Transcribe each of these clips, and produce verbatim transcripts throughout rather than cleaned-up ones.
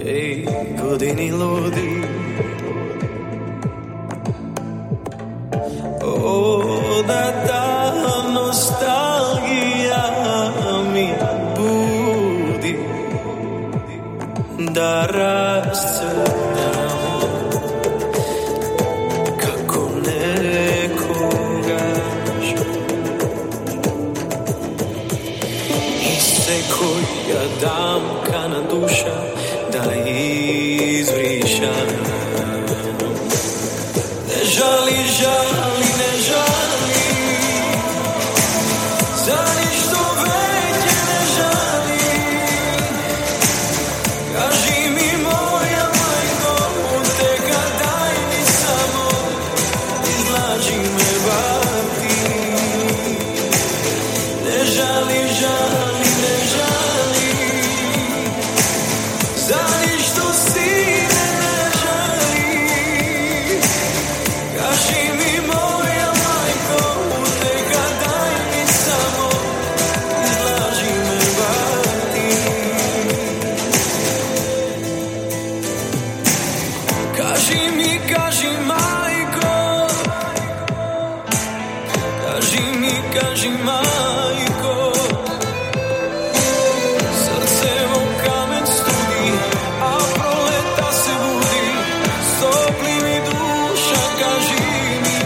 Ej, godini ludi. O, da ta nostalgija mi budi, da rascrtam kako nekogaš. I se koja damkana duša da izvrišam. Ne žali, žali, ne žali, za ništo veće ne žali. Kaži mi moja majko, teka daj mi samo, izlaži me bati. Ne žali, žali, ne žali, za ništo sine ne žali. Kaži mi moja majko, teka daj mi samo, izlaži me bati. Kaži mi, kaži majko, kaži mi, kaži majko, srce vo kamen studi, a proleta se budi, stopli mi duša, kaži mi.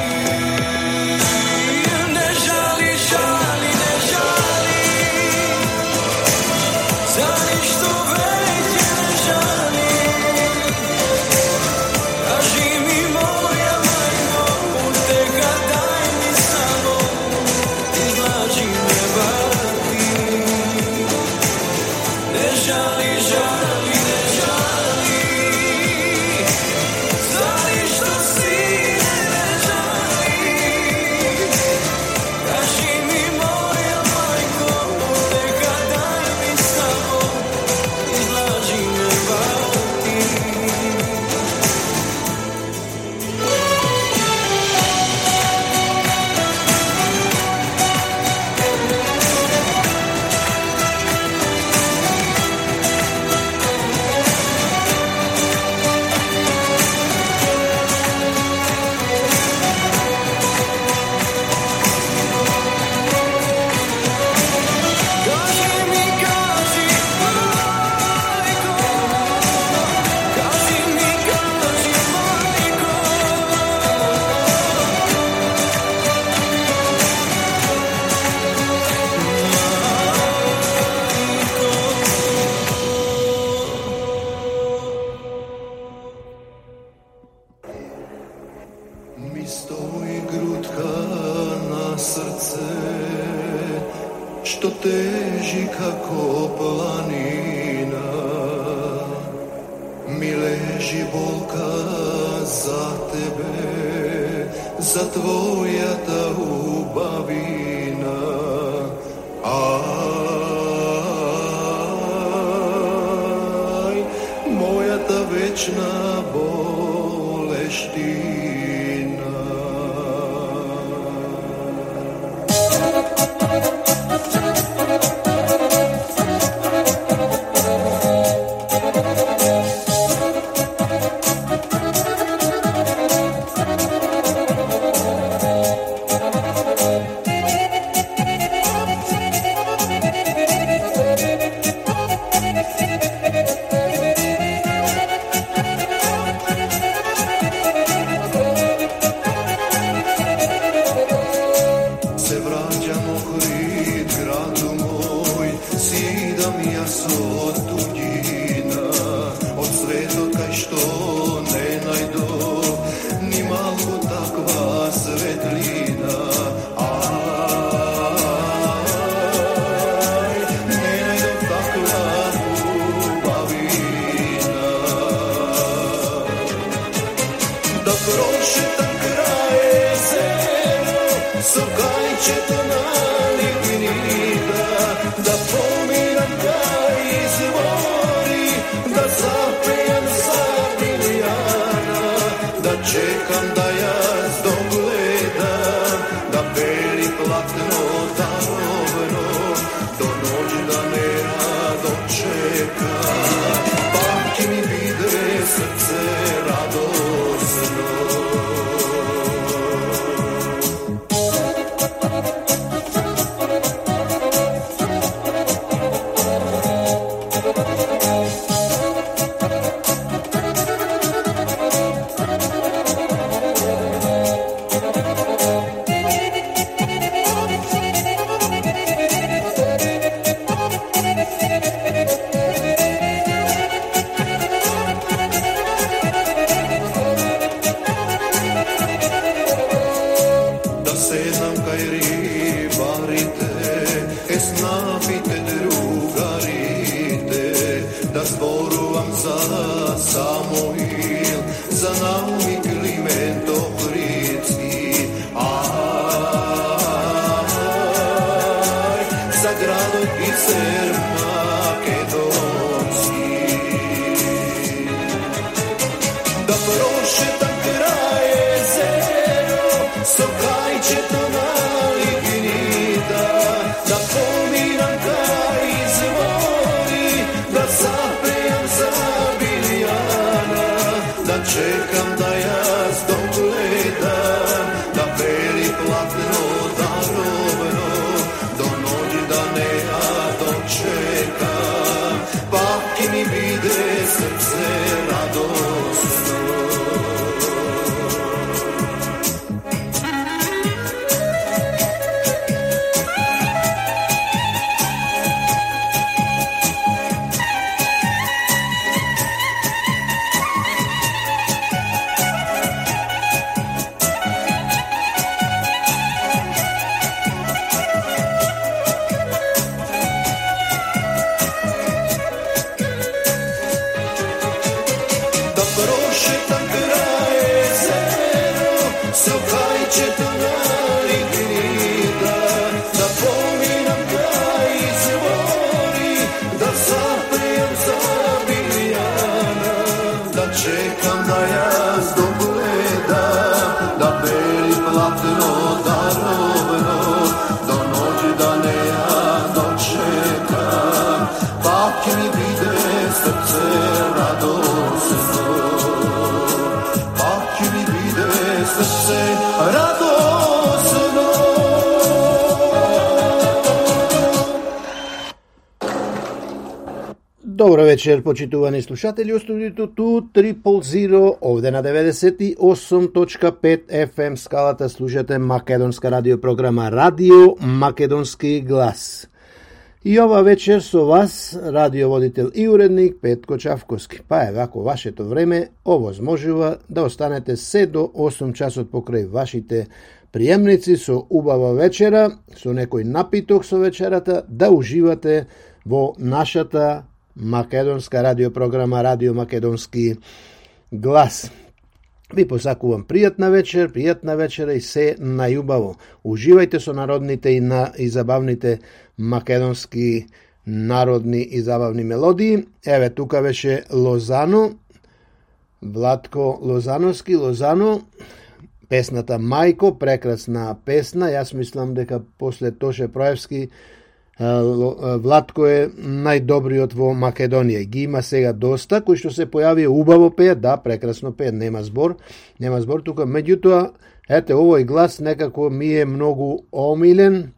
Ne žali, žali, ne žali, za ništo veće ne žali. Kaži mi moja majko, teka daj mi samo, izlaži me bati. Ne žali, žali, ne žali, za ništo sine ne žali. Kaži mi moja majko, teka daj mi samo, izlaži me bati. Kaži mi, kaži majko, kaži mi, kaži majko. Mi stoji grutka na srce, što teži kako planina. Mi leži bolka za tebe, za tvoja ta ubavina. Aj, moja ta večna boleština. Se vraćamo krit gradu moj, sidam jas od tuđina, od svetoga što ne najdo, ni malo takva svetlina. Aj, ne najdo takva ljubavina. Da prošetam kraj jezero, sokajčeta na lignita, da pomiram taj izvori, da zapejem Sardilijana, da čekam da jaz dogledam, da beli platno darovno, do noć da me rado čeka. Pamti mi da zborujem za Samoil, za Naomi Klimento Hrici, aj, za grado Biser Makedonski. Da prošetam kraj jezero, sokajče to nalik gnida, da pomiram kaj izvori, da zapejam za Biljana, da čekam da jaz dogledam, da beli platno darovno, do noći da ne ja dočekam, baki mi vide srce radosno. Добро вечер, почитувани слушатели, од студиото Ту Трипл Зиро, овде на деветдесет и осум точка пет еф ем скалата слушате македонска радиопрограма Радио Македонски глас. И ова вечер со вас, радиоводител и уредник Петко Чавковски. Па е вако вашето време овозможува да останете се до осум часот покрај вашите приемници со убава вечера, со некој напиток со вечерата, да уживате во нашата македонска радиопрограма Радио Македонски глас. Ви посакувам пријатна вечер, пријатна вечера и се најубаво. Уживајте со народните и, на, и забавните македонски народни и забавни мелодии. Еве, тука беше Лозано, Владко Лозановски, Лозано, песната Мајко, прекрасна песна. Јас мислам дека после Тоше Проевски Владко е најдобриот во Македонија. Ги има сега доста, кои што се појави убаво пеат, да, прекрасно пеат, нема збор, нема збор тука. Меѓутоа, ете, овој глас некако ми е многу омилен,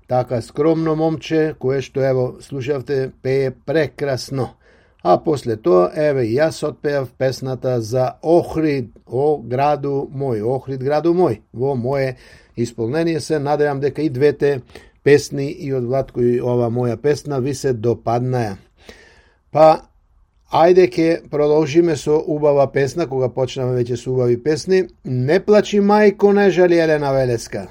така скромно момче, кое што, ево, слушавте, пее прекрасно. А после тоа, еве, јас отпеав песната за Охрид, о граду мој, Охрид граду мој. Во моје исполнение се надевам дека и двете песни и од Владко и ова моја песна ви се допаднаја. Па, ајде ке продолжиме со убава песна, кога почнаме веќе со убави песни. Не плачи мајко, не жали Елена Велеска.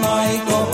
Majko,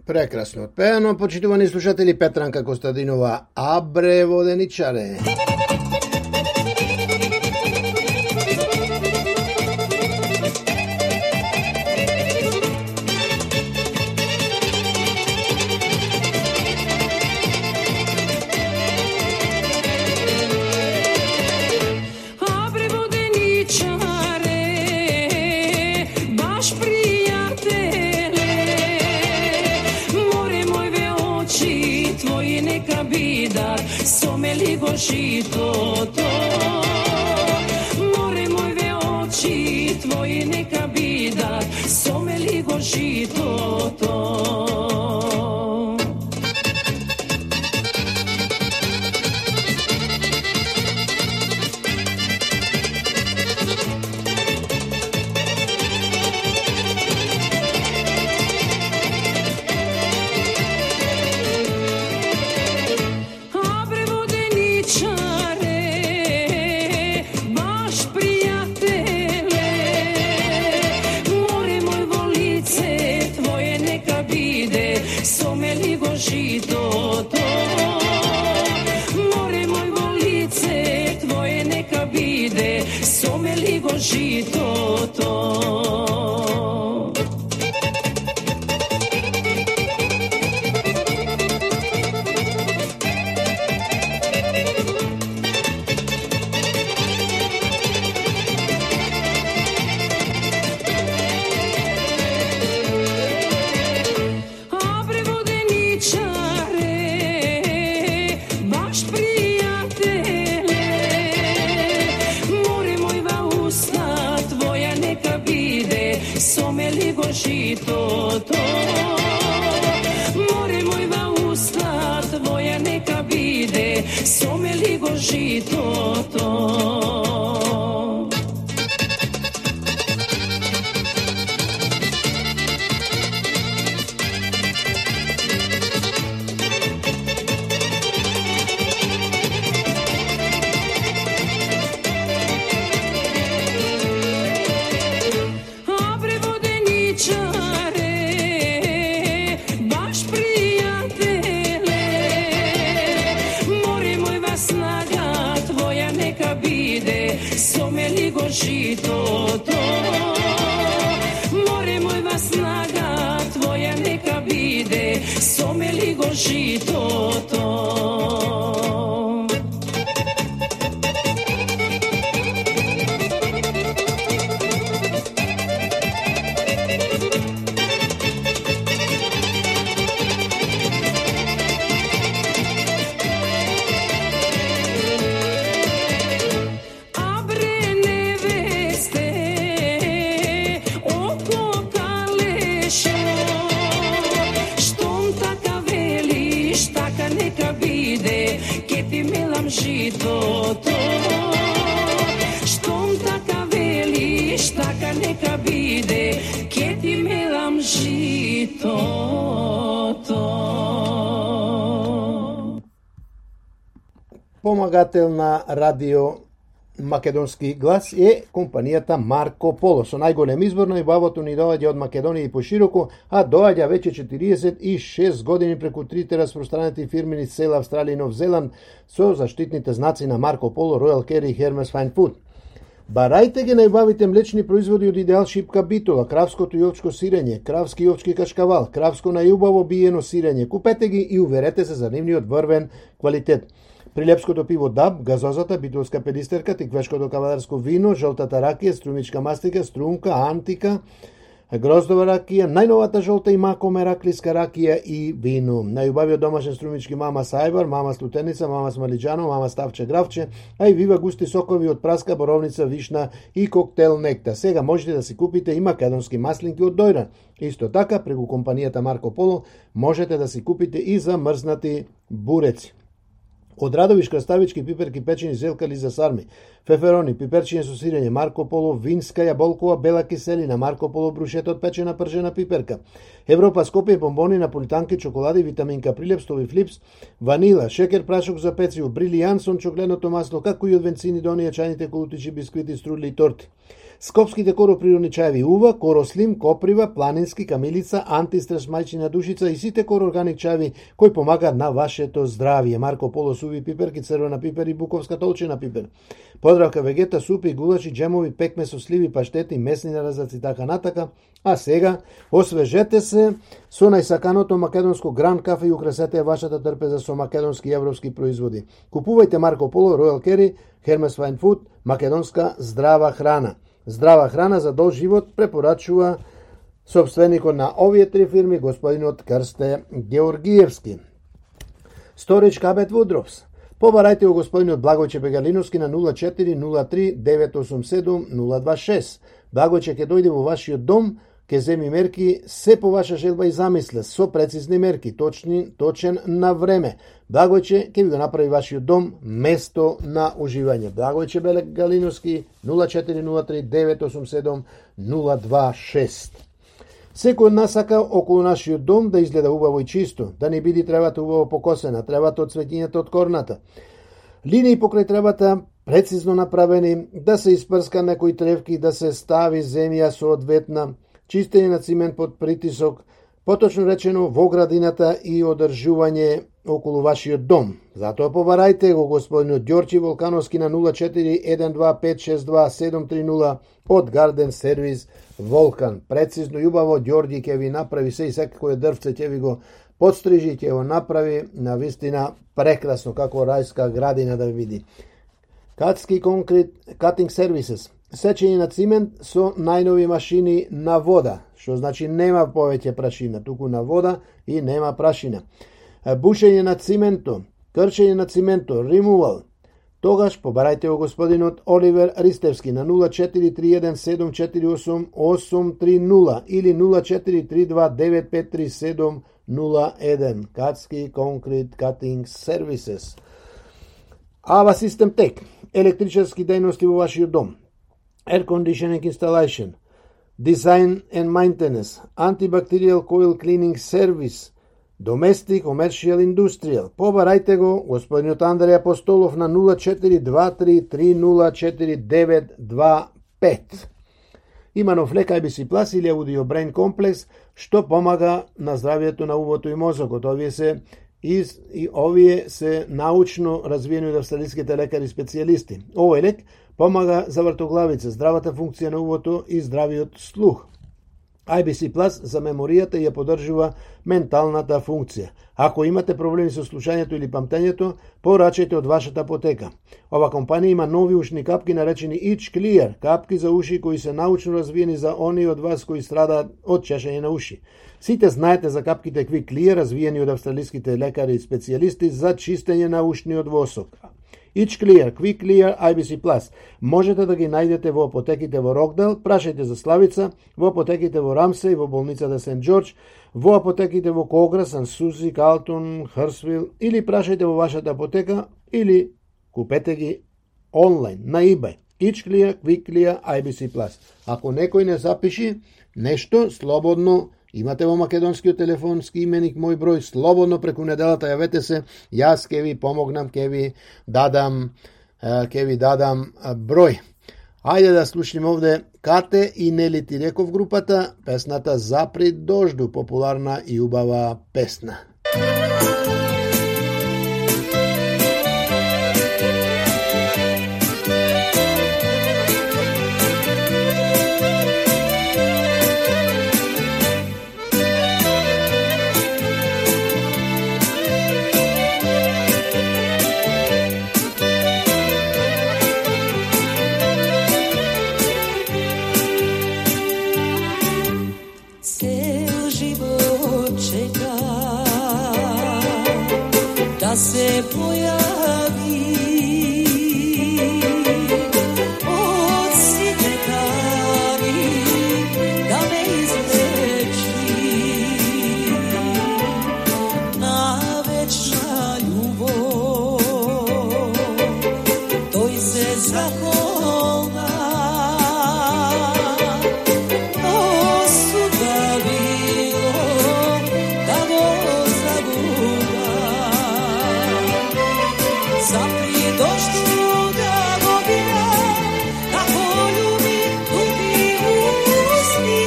Прекрасно отпеано, почитувани слушатели, Петранка Костадинова, Абре воденичаре. Žito to, more moje oči tvoje neka bida, some ligo žito to. Žito to. Žito to, more mojva usta tvoja neka bide, some ligo žito to. Žito to, more mojva snaga tvoja neka bide, some ligo žito to. Žito to, štom taka veliš, taka neka bide, ke ti melam žito to. Помагател на радио Македонски глас е компанијата Марко Поло. Со најголем избор на ибавото ни доаѓа од Македонија и пошироко, а доаѓа веќе четириесет и шест години преку трите распространети фирми низ цела Австралија и Нов Зеланд со заштитните знаци на Марко Поло, Royal Care и Hermes Fine Food. Барајте ги најбавите млечни производи од Идеал шипка битола, кравското и овчко сирење, кравски и овчки кашкавал, кравско најубаво биено сирење. Купете ги и уверете се за нивниот врвен квалитет. Прилепското пиво Даб, газозата, битолска педистерка, тиквешкото кавадарско вино, жолтата ракија, струмичка мастика, струмка, антика, гроздова ракија, најновата жолта и мако мераклиска ракија и вино. Најубавиот домашен струмички мама Сајбар, мама Слутеница, мама Смалиџано, мама Ставче Гравче, а и вива густи сокови од праска, боровница, вишна и коктел некта. Сега можете да си купите и македонски маслинки од Дојран. Исто така, преку компанијата Марко Поло, можете да си купите и замрзнати буреци. Од радовиш, краставички, пиперки, печени, зелкали за сарми, феферони, пиперчиња со сирење, Марко Поло, винска, јаболкова, бела киселина, Марко Поло, брушета од печена пржена пиперка, Европа, Скопје, бомбони, наполитанки, чоколади, витаминка, прилепстови, флипс, ванила, шекер, прашок за пecivo, брилијансон, чокленото масло, како и од венцини до оние чајните колутичи, бисквити, струдли и торти. Скопските короприродни чаеви Ува, Корослим, Коприва, Планински, Камилица, Антистрес, Мајчина душица и сите короорганик чаеви кои помагаат на вашето здравје. Марко Поло, суви пиперки, црвена пипер и буковска толчена пипер. Подравка вегета, супи, гулачи, джемови, пекме со сливи, паштети, месни наразаци, така натака. А сега, освежете се со најсаканото македонско Гран кафе и украсете вашата трпеза со македонски и европски производи. Купувајте Марко Поло, Royal Carry, Hermes Fine Food, македонска здрава храна. Здрава храна за дол живот препорачува собственикот на овие три фирми, господинот Крсте Георгиевски. Storage Cabinet Woodrows. Побарајте го господинот Благојче Бегалиновски на нула четири нула три девет осум седум нула два шест. Благојче ќе дојде во вашиот дом, ќе земи мерки се по ваша желба и замисла, со прецизни мерки, точни, точен на време. Благојче ќе ви го направи вашиот дом место на уживање. Благојче Бегалиновски нула четири нула три девет осум седум нула два шест. Секој од нас сака околу нашиот дом да изгледа убаво и чисто, да не биде тревата убаво покосена, тревата од цветињата од корната. Линии покрај тревата прецизно направени, да се испрска некои тревки, да се стави земја соодветна, чистење на цимент под притисок, поточно речено во градината и одржување околу вашиот дом. Затоа побарајте го господинот Ѓорчи Волкановски на нула четири еден два пет шест два седум три нула од Гарден Сервис Волкан. Прецизно и убаво Ѓорѓи ќе ви направи се и секој дрвце ќе ви го подстрижи, ќе го направи на вистина прекрасно, како рајска градина да види. Катски конкрет Cutting Services. Сечење на цимент со најнови машини на вода, што значи нема повеќе прашина, туку на вода и нема прашина. Бушење на цименто, крчење на цименто, removal. Тогаш побарајте го господинот Оливер Ристевски на нула четири три еден седум четири осум осум три нула или нула четири три два девет пет три седум нула еден. Катски Concrete Cutting Services. Ава System Tech. Електричарски дејности во вашиот дом. Air Conditioning Installation, Design and Maintenance, Antibacterial Coil Cleaning Service, Domestic, Commercial, Industrial. Побарајте го господинот Андреј Апостолов на нула четири два три три нула четири девет два пет. Има нов лек Ай Би Си Plus или Audio Brain Complex, што помага на здравјето на увото и мозокот. Овие се Из, и овие се научно развиени од австралиските лекари специјалисти. Овој лек помага за вртоглавица, здравата функција на увото и здравиот слух. Ай Би Си Plus за меморијата ја поддржува менталната функција. Ако имате проблеми со слушањето или памтењето, порачајте од вашата апотека. Ова компанија има нови ушни капки наречени Itch Clear, капки за уши кои се научно развиени за оние од вас кои страдаат од чешење на уши. Сите знаете за капките Quick Clear, развиени од австралиските лекари и специјалисти за чистење на ушниот восок. Itch Clear, Quick Clear, Ай Би Си Plus. Можете да ги најдете во апотеките во Рокдел, прашајте за Славица, во апотеките во Рамсеј, во болницата Сент Џорџ, во апотеките во Когра, Сан Сузи, Калтон, Хрсвил, или прашајте во вашата апотека, или купете ги онлайн, на eBay. Itch Clear, Quick Clear, Ай Би Си Plus. Ако некој не запиши нешто, слободно имате во македонскиот телефонски именик мој број, слободно преку неделата јавете се, јас ќе ви помогнам, ќе ви дадам, ќе ви дадам број. Ајде да слушнем овде Кате и Нели Ти реков групата, песната Запри дожду, популарна и убава песна. се појави од сите тари, да ме излечи на вечна љубов. Тој се захолна, осуда било да го загуба. Запри дожду да го бира, како љуби туги усни.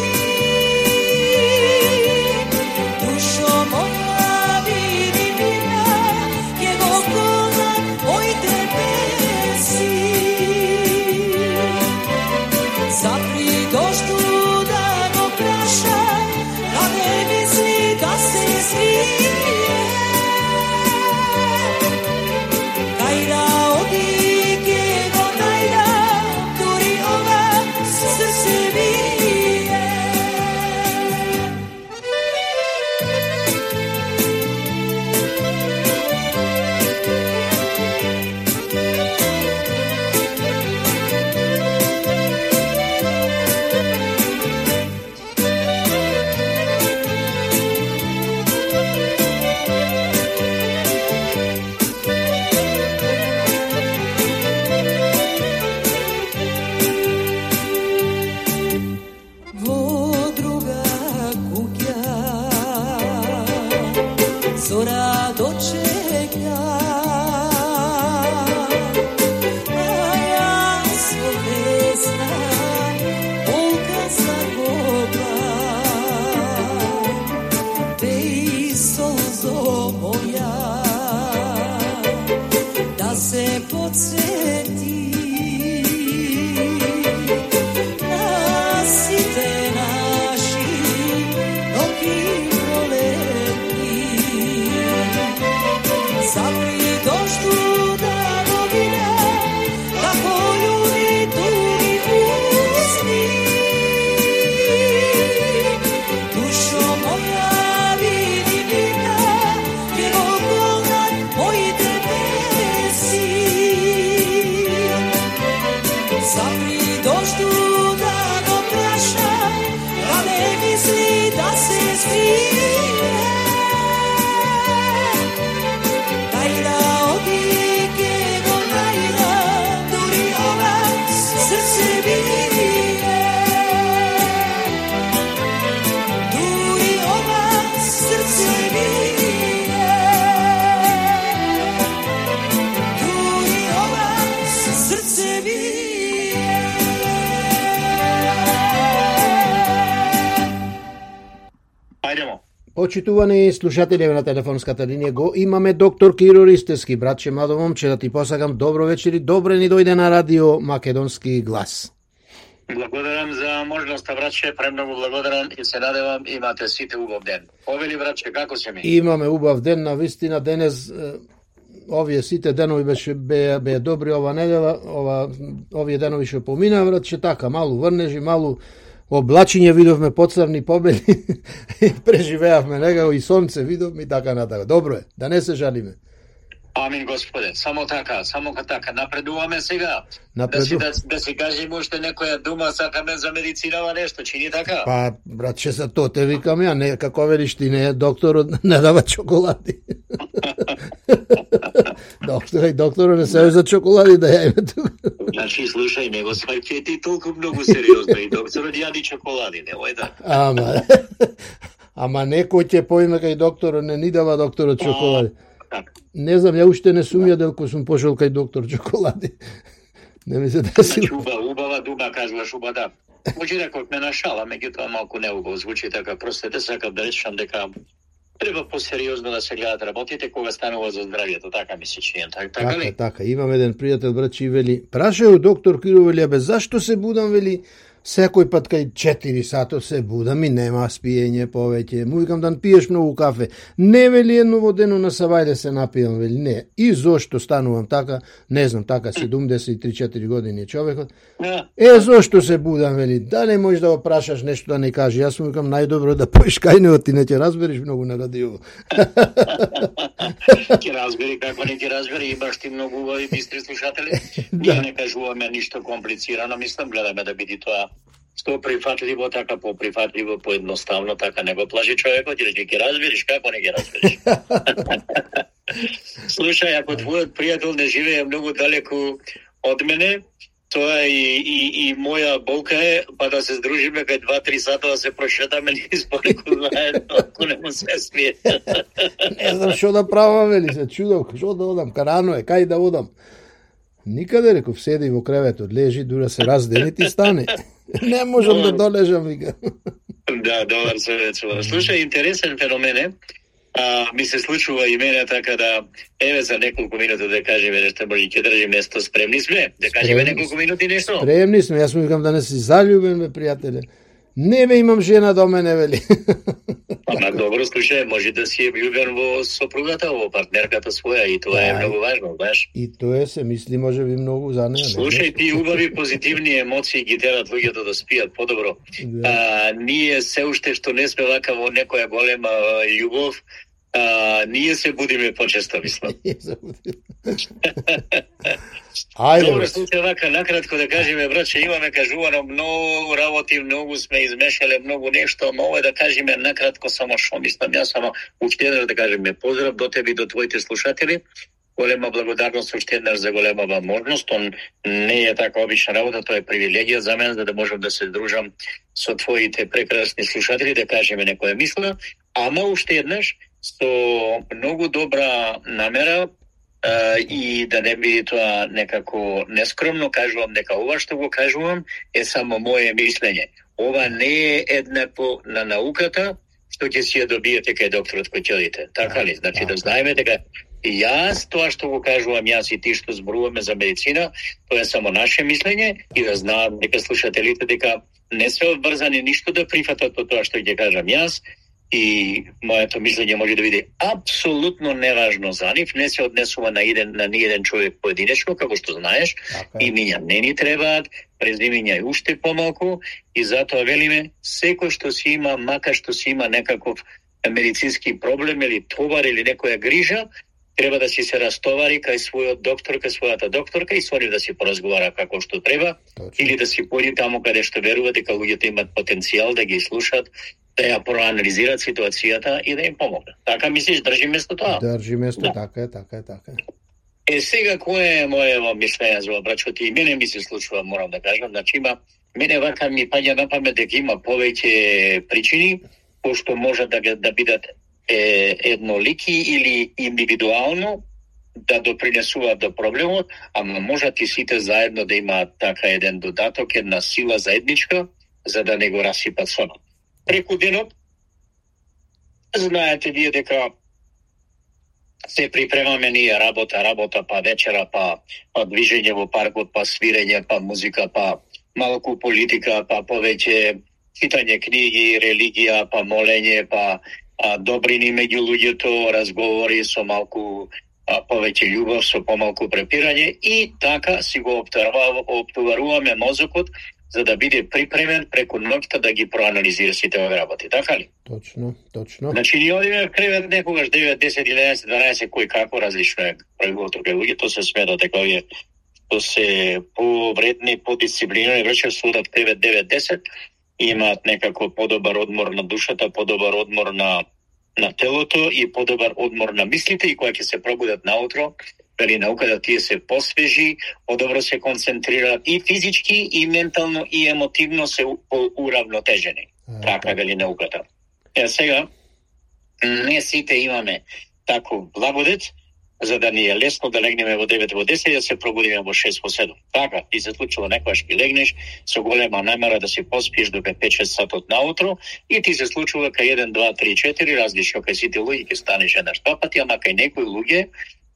Душо моја види бира, ке го колнат моите песни. Запри дожду да го праша, да не мисли да се скрие. Кајда оди ке го најда, дури ова срце бие. Во друга куќа зора дочека, а јас во весна полка закопам. Пеј солзо моја, да се подсети на сите наши ноќи пролетни. Запри дожду да го бира, како љуби туги усни. Душо моја види бира, ке го колнат моите песни. Запри дожду да го праша, да не мисли да се скрие. Кајда оди ке го најда, дури ова срце бие. Дури ова срце бие. Дури ова срце бие. Ајдемо. Почитувани слушатели на телефонската линија го имаме доктор Киро Ристевски. Братче, младо момче, да ти посакам добро вечер и добре ни дојде на радио Македонски глас. Благодарам за можноста, братче, премногу благодарам и се надевам имате сите убав ден. Овели, братче, како се ми? Имаме убав ден, на вистина денес е, овие сите денови беше беа беа добри ова недела, ова овие денови што помина, братче, така малу врнежи, малу облачиње видовме поцрни побели, преживеавме некако и сонце видовме и така натака. Добро е, да не се жалиме. Амин, Господе, само така, само така, напредуваме сега. Напреду... Да си, да, да си кажем уште некоја дума, сакаме за медицинава нешто, чини така? Па, братче, за то те викам ја, не, како велиш ти, не, докторот не дава чоколади. Доктор, докторот не се за чоколади да јајме тука. Значи, слушај, него сваќај ти толку многу сериозно и докторот јади чоколади, немој да. Ама, ама некој ќе поиме кај докторот, не ни дава докторот чоколади. Не знам, ја уште не сум јадел кој сум пошел кај доктор чоколади. Не ми се деси. Значи, убава дума, кажуваш уба да. Може реков ме на шала, меѓутоа малку неубаво звучи така. Простете, сакам да речам дека треба посериозно да се гледат работите кога станува за здравјето, така ми се чини. Така, така ли? Така, така. Имам еден пријател, братче, и вели, прашају доктор Киро, вели, абе, зашто се будам, вели, Секој пат кај четири сато се будам и нема спиење повеќе. Му викам да пиеш многу кафе. Не вели едно водено на савајде се напијам, вели не. И зошто станувам така, не знам, така седумдесет и три-четири години е човекот. Е, зошто се будам, вели, дали можеш да го прашаш нешто да не кажи. Јас му викам најдобро да поиш кај него, ти не ќе разбереш многу на радио. Ќе разбери, како не ќе разбери, имаш ти многу убави бистри слушатели. Ние не кажуваме ништо комплицирано, мислам, гледаме да биде тоа што прифатливо, така поприфатливо, поедноставно, така не го плаши човекот, или ќе разбереш, како не ќе разбереш. Слушај, ако твојот пријател не живее многу далеку од мене, тоа и, и, и моја болка е, па да се здружиме кај два-три сата да се прошетаме низ полеку заедно, ако не му се смие. Не знам што да правам, вели се чудов, што да одам, карано е, кај да одам. Никаде, реков, седи во креветот, лежи, дура се раздели ти стане. Не можам да долежам, вика. Да, добар совет. Слушај, интересен феномен е. А, ми се случува и мене така да, еве за неколку минути да кажеме нешто, може ќе држим нешто, спремни сме? Да кажеме неколку минути нешто? Спремни сме, јас му викам да не си заљубен, бе, пријателе. Не, бе, имам жена до мене, вели. Ама добро, слушај, може да си е влюбен во сопругата, во партнерката своја, и тоа е многу важно, знаеш. И тоа се мисли, може би, многу за неа. Слушај, ти убави позитивни емоции ги терат луѓето да спијат подобро. Да. А, ние се уште што не сме вака во некоја голема љубов, а, ние се будиме почесто, мислам. Ајде. Добро, слушај, вака накратко да кажеме, браќе, имаме кажувано многу работи, многу сме измешале, многу нешто, но ова да кажеме накратко само што мислам, јас само уште еднаш да кажеме поздрав до тебе и до твоите слушатели. Голема благодарност уште еднаш за голема возможност. Он не е така обична работа, тоа е привилегија за мен, за да можам да се дружам со твоите прекрасни слушатели, да кажеме некоја мисла, ама уште еднаш со многу добра намера, Uh, и да не биде тоа некако нескромно, кажувам дека ова што го кажувам е само моје мислење. Ова не е еднакво на науката, што ќе си ја добиете кај докторот кој ќе одите. Така ли? Значи да знаеме дека јас тоа што го кажувам, јас и ти што зборуваме за медицина, тоа е само наше мислење и да знаат дека слушателите дека не се обврзани ништо да прифатат од тоа што ќе кажам јас. И моето мислење може да биде апсолутно неважно за нив, не се однесува на еден на ни еден човек поединечно, како што знаеш, okay. Имиња не ни требаат, презимиња и уште помалку, и затоа велиме, секој што си има, мака што си има некаков медицински проблем или товар или некоја грижа, треба да си се растовари кај својот доктор, кај својата докторка и со нив да си поразговара како што треба, Точно. Или да си појде таму каде што верува дека луѓето имат потенцијал да ги слушат, да ја проанализираат ситуацијата и да им помогнат. Така мислиш, држи место тоа? Држи место, да. така е, така е, така е. Е, сега, кој е моје мислење за брачот и мене ми се случува, морам да кажам, значи има, мене вака ми паѓа на памет дека има повеќе причини, пошто можат да, да бидат е, еднолики или индивидуално да допринесуваат до проблемот, ама можат и сите заедно да имаат така еден додаток, една сила заедничка, за да не го расипат сонот. Преку денот, знаете вие дека се припремаме ние работа, работа, па вечера, па, па движење во паркот, па свирење, па музика, па малку политика, па повеќе читање книги, религија, па молење, па а, добрини меѓу луѓето, разговори со малку а, повеќе љубов, со помалку препирање и така си го оптоваруваме мозокот за да биде припремен преку ноќта да ги проанализира сите овие работи, така ли? Точно, точно. Значи, ние одиме в кревет некогаш девет, десет, единаесет, дванаесет, кој како различно е правилото кај луѓето се смета дека овие што се повредни, подисциплинирани, враче судат кревет девет, десет, имаат некако подобар одмор на душата, подобар одмор на на телото и подобар одмор на мислите и кога ќе се пробудат наутро, вели науката тие се посвежи, подобро се концентрираат и физички, и ментално, и емотивно се уравнотежени. Така вели науката. Е, сега, не сите имаме тако благодет, за да ни е лесно да легнеме во девет, во десет, да се пробудиме во шест, во седум. Така, ти се случува некојаш ќе легнеш со голема намера да се поспиеш до пет-шест сатот наутро и ти се случува кај еден, два, три, четири, различно кај сите луѓе ќе станеш еднаш два пати, ама кај некои луѓе,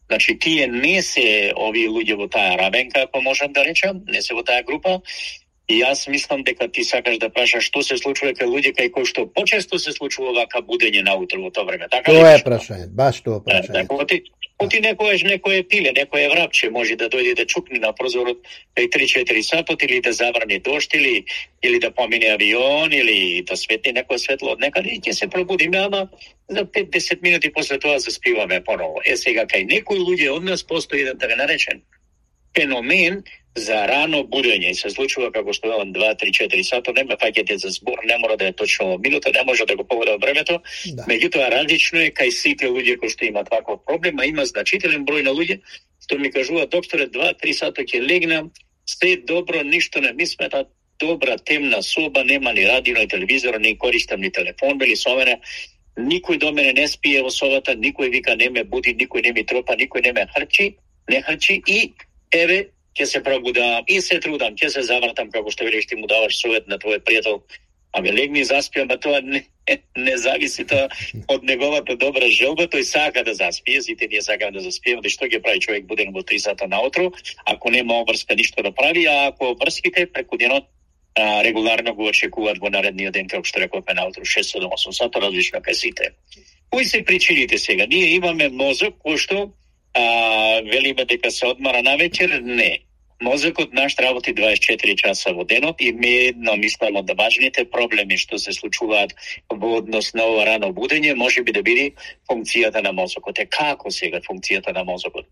значи тие не се овие луѓе во таа рабенка, ако можам да речам, не се во таа група, И јас мислам дека ти сакаш да прашаш што се случува кај луѓе кај кои што почесто се случува вака будење наутро во тоа време. Така Тоа е прашање, баш тоа прашање. Така, оти, оти некојаш некој пиле, некој врапче може да дојде да чукне на прозорот кај три-четири сатот или да забрани дожд или или да помине авион или да светне некој светло од некаде и ќе се пробудиме, ама за пет-десет минути после тоа заспиваме поново. Е сега кај некои луѓе од нас постои еден така наречен феномен за рано будење. Се случува како што велам два-три-четири сата, нема фаќате за збор, не мора да е точно во минута, не може да го погода времето. Да. Меѓутоа различно е кај сите луѓе кои што имаат таков проблем, а има значителен број на луѓе што ми кажува докторе два-три сата ќе легнам, се добро, ништо не ми смета, добра темна соба, нема ни радио, ни телевизор, ни користам ни телефон, бели со мене. Никој до мене не спие во собата, никој вика не ме буди, никој не ми тропа, никој не ме хрчи, не хрчи и еве ќе се пробудам и се трудам, ќе се завртам како што велиш ти му даваш совет на твој пријател. Ами легни заспиам, а тоа не, не зависи тоа од неговата добра желба, тој сака да заспие, сите ние сакаме да заспиеме, што ќе прави човек буден во три сата наутро, ако нема обврска ништо да прави, а ако обврските преку денот а, регуларно го очекуваат во наредниот ден, како што рековме наутро шест-седум-осум сата, различно кај сите. Кои се причините сега? Ние имаме мозок кој што а, велиме дека се одмара навечер, не. Мозокот наш работи дваесет и четири часа во денот и ми едно мислам од важните проблеми што се случуваат во однос на ова рано будење, може би да биде функцијата на мозокот. Е како сега функцијата на мозокот?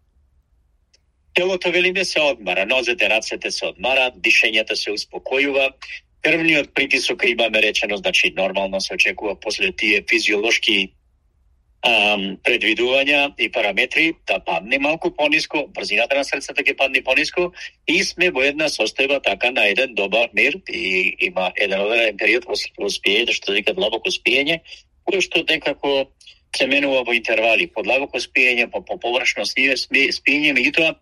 Телото велиме се одмара, нозете, рацете се одмарат, дишењето се успокојува, крвниот притисок имаме речено, значи нормално се очекува после тие физиолошки Um, предвидувања и параметри да падне малку пониско, брзината на срцето ќе падне пониско и сме во една состојба така на еден добар мир и има еден одреден период во спиење, што се вика длабоко спиење, кој што некако се менува во интервали, по длабоко спиење, по, по површно спиење, меѓутоа,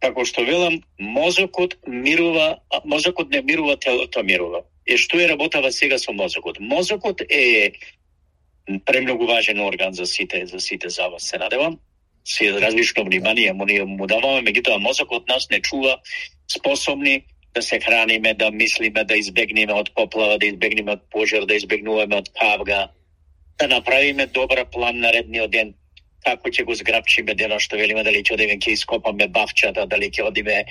како што велам, мозокот мирува, мозокот не мирува, телото мирува. И што е работава сега со мозокот? Мозокот е премногу важен орган за сите, за сите за вас, се надевам. Се различно внимание му, му даваме, меѓутоа мозокот нас не чува способни да се храниме, да мислиме, да избегнеме од поплава, да избегнеме од пожар, да избегнуваме од кавга, да направиме добра план на редниот ден, како ќе го зграбчиме денот, што велиме, дали ќе одиме ќе ископаме бавчата, дали ќе одиме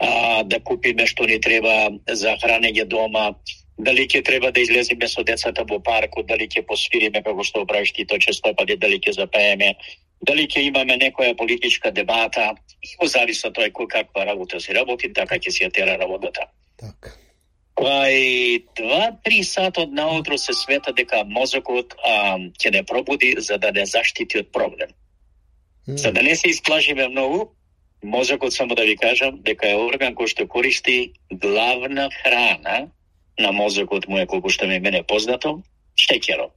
а, да купиме што ни треба за хранење дома, дали ќе треба да излеземе со децата во паркот, дали ќе посвириме како што правиш ти често пати, дали ќе запееме, дали ќе имаме некоја политичка дебата, и во зависи од тоа кој каква работа се работи, така ќе се ја тера работата. Така. Кај два-три сата од наутро се света дека мозокот а, ќе не пробуди за да не заштити од проблем. Mm. За да не се исплашиме многу, мозокот, само да ви кажам, дека е орган кој што користи главна храна на мозокот му е, колку што ми мене познато, шеќерот.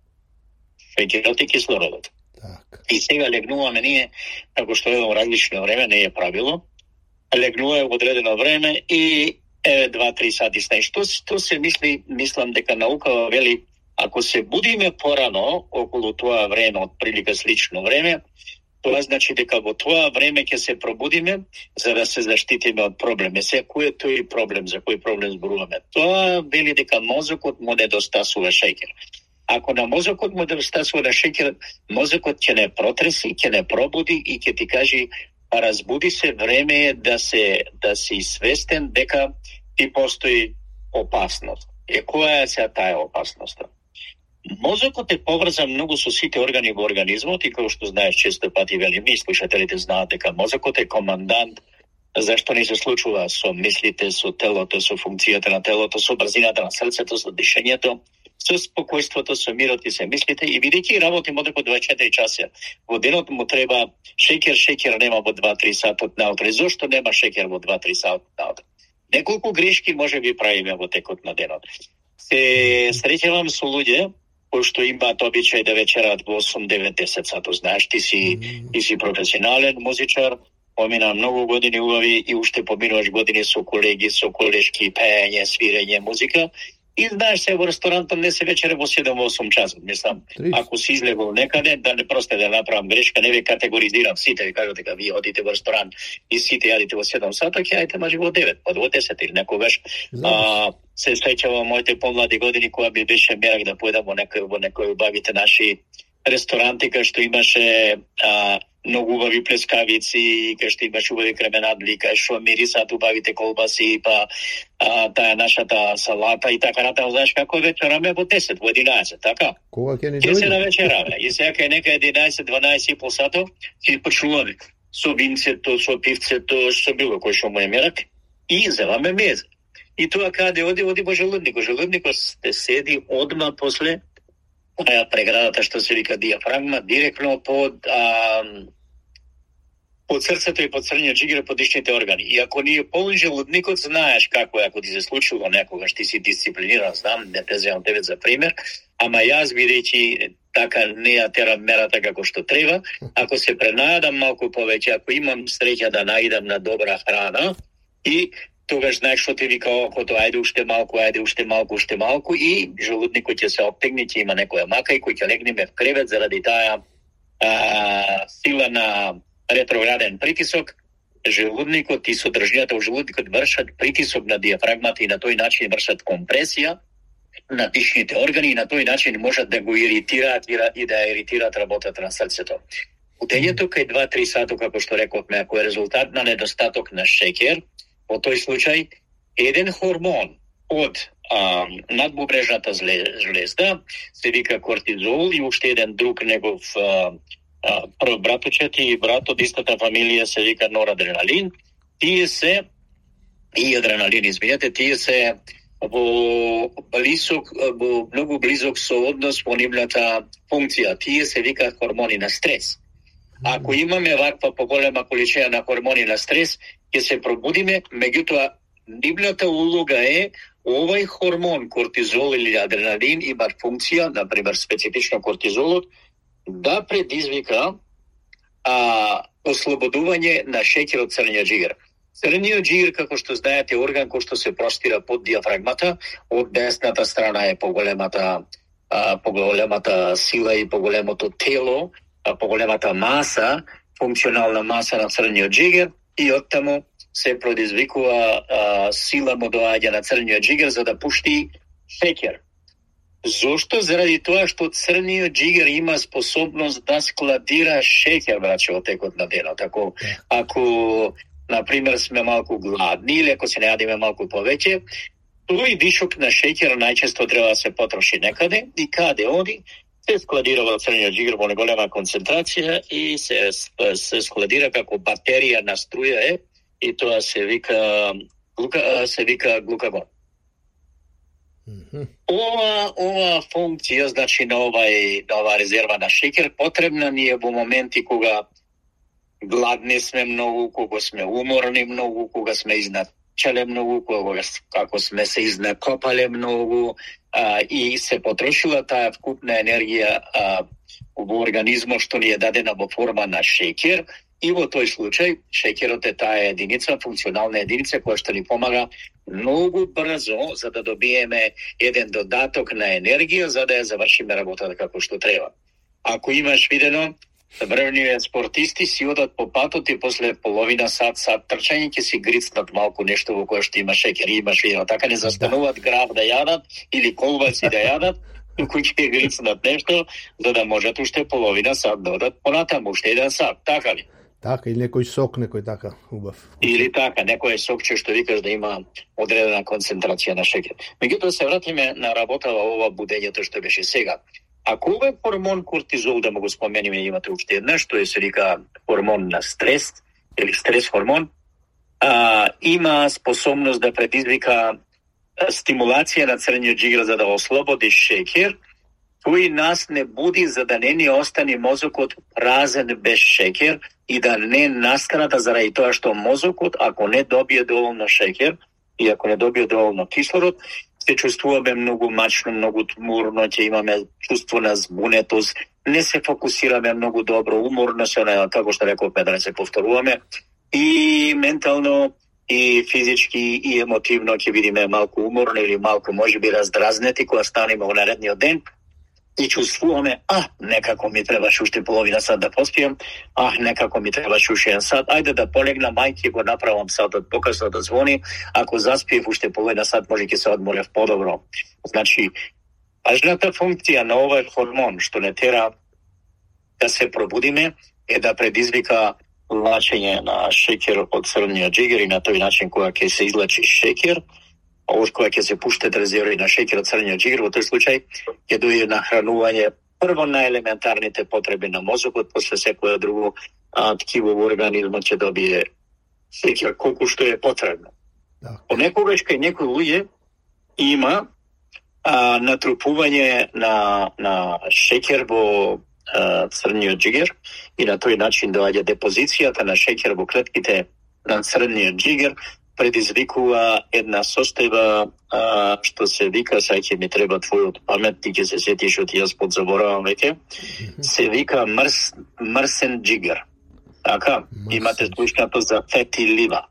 Шеќерот и кислородот. Так. И сега легнуваме ние, како што е во различно време, не е правило, легнуваме во одредено време и е два-три сати сне. Што, што се мисли, мислам дека наука вели, ако се будиме порано, околу тоа време, од прилика слично време, тоа значи дека во тоа време ќе се пробудиме за да се заштитиме од проблеми. Се кој е тој проблем, за кој проблем зборуваме? Тоа вели дека мозокот му недостасува шеќер. Ако на мозокот му недостасува шеќер, мозокот ќе не протреси, ќе не пробуди и ќе ти кажи разбуди се, време е да се да си свестен дека ти постои опасност. Е која е сега таа опасност? Мозокот е поврзан многу со сите органи во организмот и како што знаеш често пати велим, и слушателите знаат дека мозокот е командант зашто не се случува со мислите, со телото, со функцијата на телото, со брзината на срцето, со дишењето, со спокојството, со мирот и се мислите. И бидејќи работи мозокот дваесет и четири часа, во денот му треба шеќер, шеќер нема во два-три сата од наутро. Зошто нема шеќер во два-три сата од наутро? Неколку грешки може би правиме во текот на денот. Се среќавам со луѓе кои што имаат обичај да вечерат во осум-девет-десет сато. Знаеш, ти си, ти си професионален музичар, помина многу години убави и уште поминуваш години со колеги, со колешки, пеење, свирење, музика. И знаеш се, во ресторантот не се вечере во седум-осум часот, мислам. Ако си излегол некаде, да не просто да направам грешка, не ве категоризирам сите, ви кажат дека вие одите во ресторан и сите јадите во седум сата, ќе ајте мажи во девет, па во десет или некогаш. А, се сеќавам моите помлади години кога би беше мерак да поедам во некој во некој убавите наши ресторанти кај што имаше а, многу убави плескавици, кај што имаше убави кременадли, кај што мирисаат убавите колбаси, па а, таа нашата салата и така натаму. Знаеш како вечераме во десет, во единаесет, така? Кога ќе ни дојде? Ќе се навечераме. И сега кај нека единаесет, дванаесет и пол сато ќе почнуваме со винцето, со пивцето, со било кој што му е мерак и земаме меза. И тоа каде оди, оди во желудникот. Желудникот се седи одма после а, преградата што се вика диафрагма, директно под а, под срцето и под црниот џигер, под дишните органи. И ако ни е полн желудникот, знаеш како е, ако ти се случило некогаш, ти си дисциплиниран, знам, не те земам тебе за пример, ама јас бидејќи така не ја терам мерата како што треба, ако се пренајадам малку повеќе, ако имам среќа да наидам на добра храна и тогаш знаеш што ти вика окото, ајде уште малку, ајде уште малку, уште малку и желудникот ќе се оптегне, ќе има некоја мака и кој ќе легнеме в кревет заради таа а, сила на ретрограден притисок. Желудникот и содржината во желудникот вршат притисок на диафрагмата и на тој начин вршат компресија на дишните органи и на тој начин можат да го иритираат и да иритираат работата на срцето. Удењето кај два-три сато, како што рековме, ако е резултат на недостаток на шеќер, во тој случај, еден хормон од а, надбубрежната жлезда се вика кортизол и уште еден друг негов а, а, прв братучет и брат од истата фамилија се вика норадреналин. Тие се и адреналин, извинете, тие се во близок, во многу близок сооднос во нивната функција. Тие се вика хормони на стрес. Ако имаме ваква поголема количина на хормони на стрес, ќе се пробудиме, меѓутоа нивната улога е овај хормон, кортизол или адреналин, има функција, например специфично кортизолот, да предизвика а, ослободување на шеќер од црниот џигер. Црниот џигер, како што знаете, орган кој што се простира под диафрагмата, од десната страна е поголемата, а, поголемата сила и поголемото тело, а, поголемата маса, функционална маса на црниот џигер, и оттаму се предизвикува а, сила му доаѓа на црниот џигер за да пушти шеќер. Зошто? Заради тоа што црниот џигер има способност да складира шеќер, браче, во текот на денот. Ако, ако например, сме малку гладни или ако се не јадиме малку повеќе, тој дишок на шеќер најчесто треба да се потроши некаде и каде оди, се складира во црниот џигер во неголема концентрација и се, се складира како батерија на струја е и тоа се вика глука, се вика глукагон. Mm-hmm. Ова, ова функција, значи на овај, на ова резерва на шеќер, потребна ни е во моменти кога гладни сме многу, кога сме уморни многу, кога сме изначале многу, кога како сме се изнакопале многу а, и се потрошила таа вкупна енергија а, во организмот што ни е дадена во форма на шеќер. И во тој случај, шеќерот е таа единица, функционална единица, која што ни помага многу брзо за да добиеме еден додаток на енергија, за да ја завршиме работата како што треба. Ако имаш видено, врвниот спортисти си одат по патот и после половина сат, сат трчање ќе си грицнат малку нешто во кое што има шеќер. И имаш видено, така не застануваат граб да јадат или колбаси да јадат, туку ќе грицнат нешто, за да можат уште половина сат да одат понатаму, уште еден сат, така ли? Така, или некој сок, некој така, убав. Или така, некој сокче што викаш да има одредена концентрација на шеќер. Меѓутоа се вратиме на работа во ова будењето што беше сега. Ако овој хормон кортизол, да му го спомениме, имате уште една, што е се вика хормон на стрес, или стрес хормон, а, има способност да предизвика стимулација на црниот џигер за да ослободи шеќер, тој нас не буди за да не ни остане мозокот празен без шеќер и да не настаната заради тоа што мозокот, ако не добие доволно шеќер и ако не добие доволно кислород, се чувствуваме многу мачно, многу тмурно, ќе имаме чувство на збунетост, не се фокусираме многу добро, уморно се, како што рековме, да не се повторуваме, и ментално и физички и емотивно ќе бидеме малку уморни или малку можеби раздразнети кога станеме во наредниот ден и чувствуваме, а, некако ми требаше уште половина сат да поспием, а, некако ми требаше уште еден сат, ајде да полегнам, мајки го направам сатот покасно да звони, ако заспиев уште половина сат, може ќе се одморев подобро. Значи, важната функција на овој хормон, што не тера да се пробудиме, е да предизвика лачење на шеќер од црвниот џигер и на тој начин кога ќе се излачи шеќер, од кога ќе се пуштат резерви на шеќер од црвниот џигер, во тој случај ќе дојде нахранување прво на елементарните потреби на мозокот, после секоја друго а, ткиво во организмот ќе добие шеќер колку што е потребно. Да. Понекогаш кај некои луѓе има а, натрупување на, на шеќер во а, црвниот џигер и на тој начин доаѓа депозицијата на шеќер во клетките на црвниот џигер, предизвикува една состојба а, што се вика, сај ќе ми треба твојот памет, ти ќе се сетиш од јас подзаборавам веќе, се вика мрс, мрсен џигер. Така, мрсен. Имате слушнато за фети лива.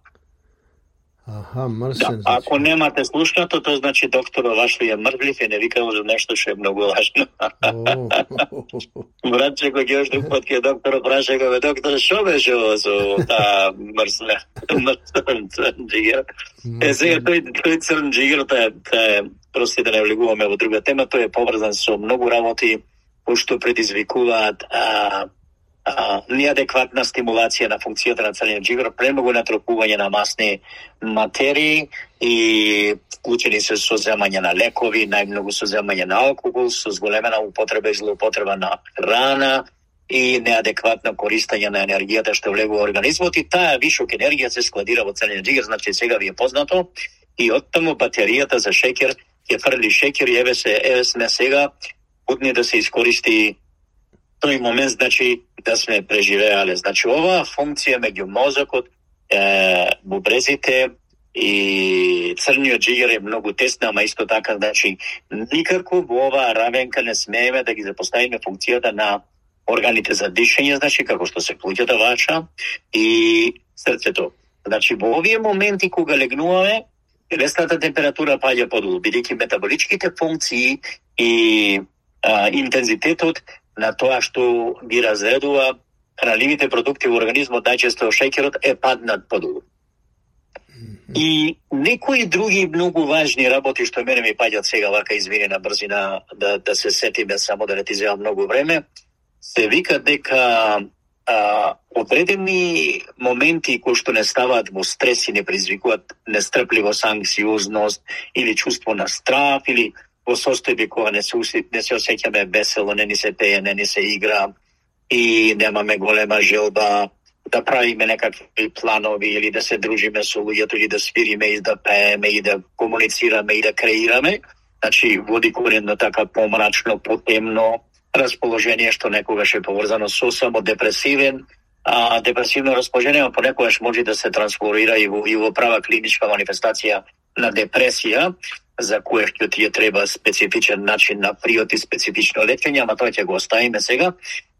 Аха, мрсен. Да, ако немате слушнато, тоа значи докторот ваш ли е мрвлив и не викал за нешто што е многу важно. Братче, кој ќе още пат ке доктор праша го, доктор, шо беше ово со таа мрсна, мрсен црн џигер? Е, сега тој, тој црн џигер, тоа е, просто да не влегуваме во друга тема, тој е поврзан со многу работи, кои што предизвикуваат а, а, неадекватна стимулација на функцијата на црниот џигер, премногу натрупување на масни материи и вклучени се со земање на лекови, најмногу со земање на алкохол, со зголемена употреба и злоупотреба на храна и неадекватно користење на енергијата што влегува во организмот и таа вишок енергија се складира во црниот џигер, значи сега ви е познато и оттаму батеријата за шеќер ќе фрли шеќер и еве се еве сме сега будни да се искористи тој момент, значи да сме преживеале. Значи оваа функција меѓу мозокот, е, бубрезите и црниот џигер е многу тесна, ама исто така, значи никако во оваа равенка не смееме да ги запоставиме функцијата на органите за дишење, значи како што се плуќата ваша и срцето. Значи во овие моменти кога легнуваме, телесната температура паѓа подолу, бидејќи метаболичките функции и а, интензитетот на тоа што ги разредува хранливите продукти во организмот, најчесто шеќерот, е паднат подолу. И некои други многу важни работи што мене ми паѓат сега вака извини на брзина да, да се сетиме, само да не ти земам многу време, се вика дека а, одредени моменти кои што не ставаат во стрес и не предизвикуваат нестрпливост, анксиозност или чувство на страв или во состојби кога не се, не се осеќаме весело, не ни се пее, не ни се игра и немаме голема желба да правиме некакви планови или да се дружиме со луѓето или да свириме и да пееме и да комуницираме и да креираме. Значи води коренно така помрачно, потемно расположение што некогаш е поврзано со само депресивен, а депресивно расположение а понекогаш може да се трансформира и во, и во права клиничка манифестација на депресија, за кое што ти е треба специфичен начин на приот и специфично лечење, ама тоа ќе го оставиме сега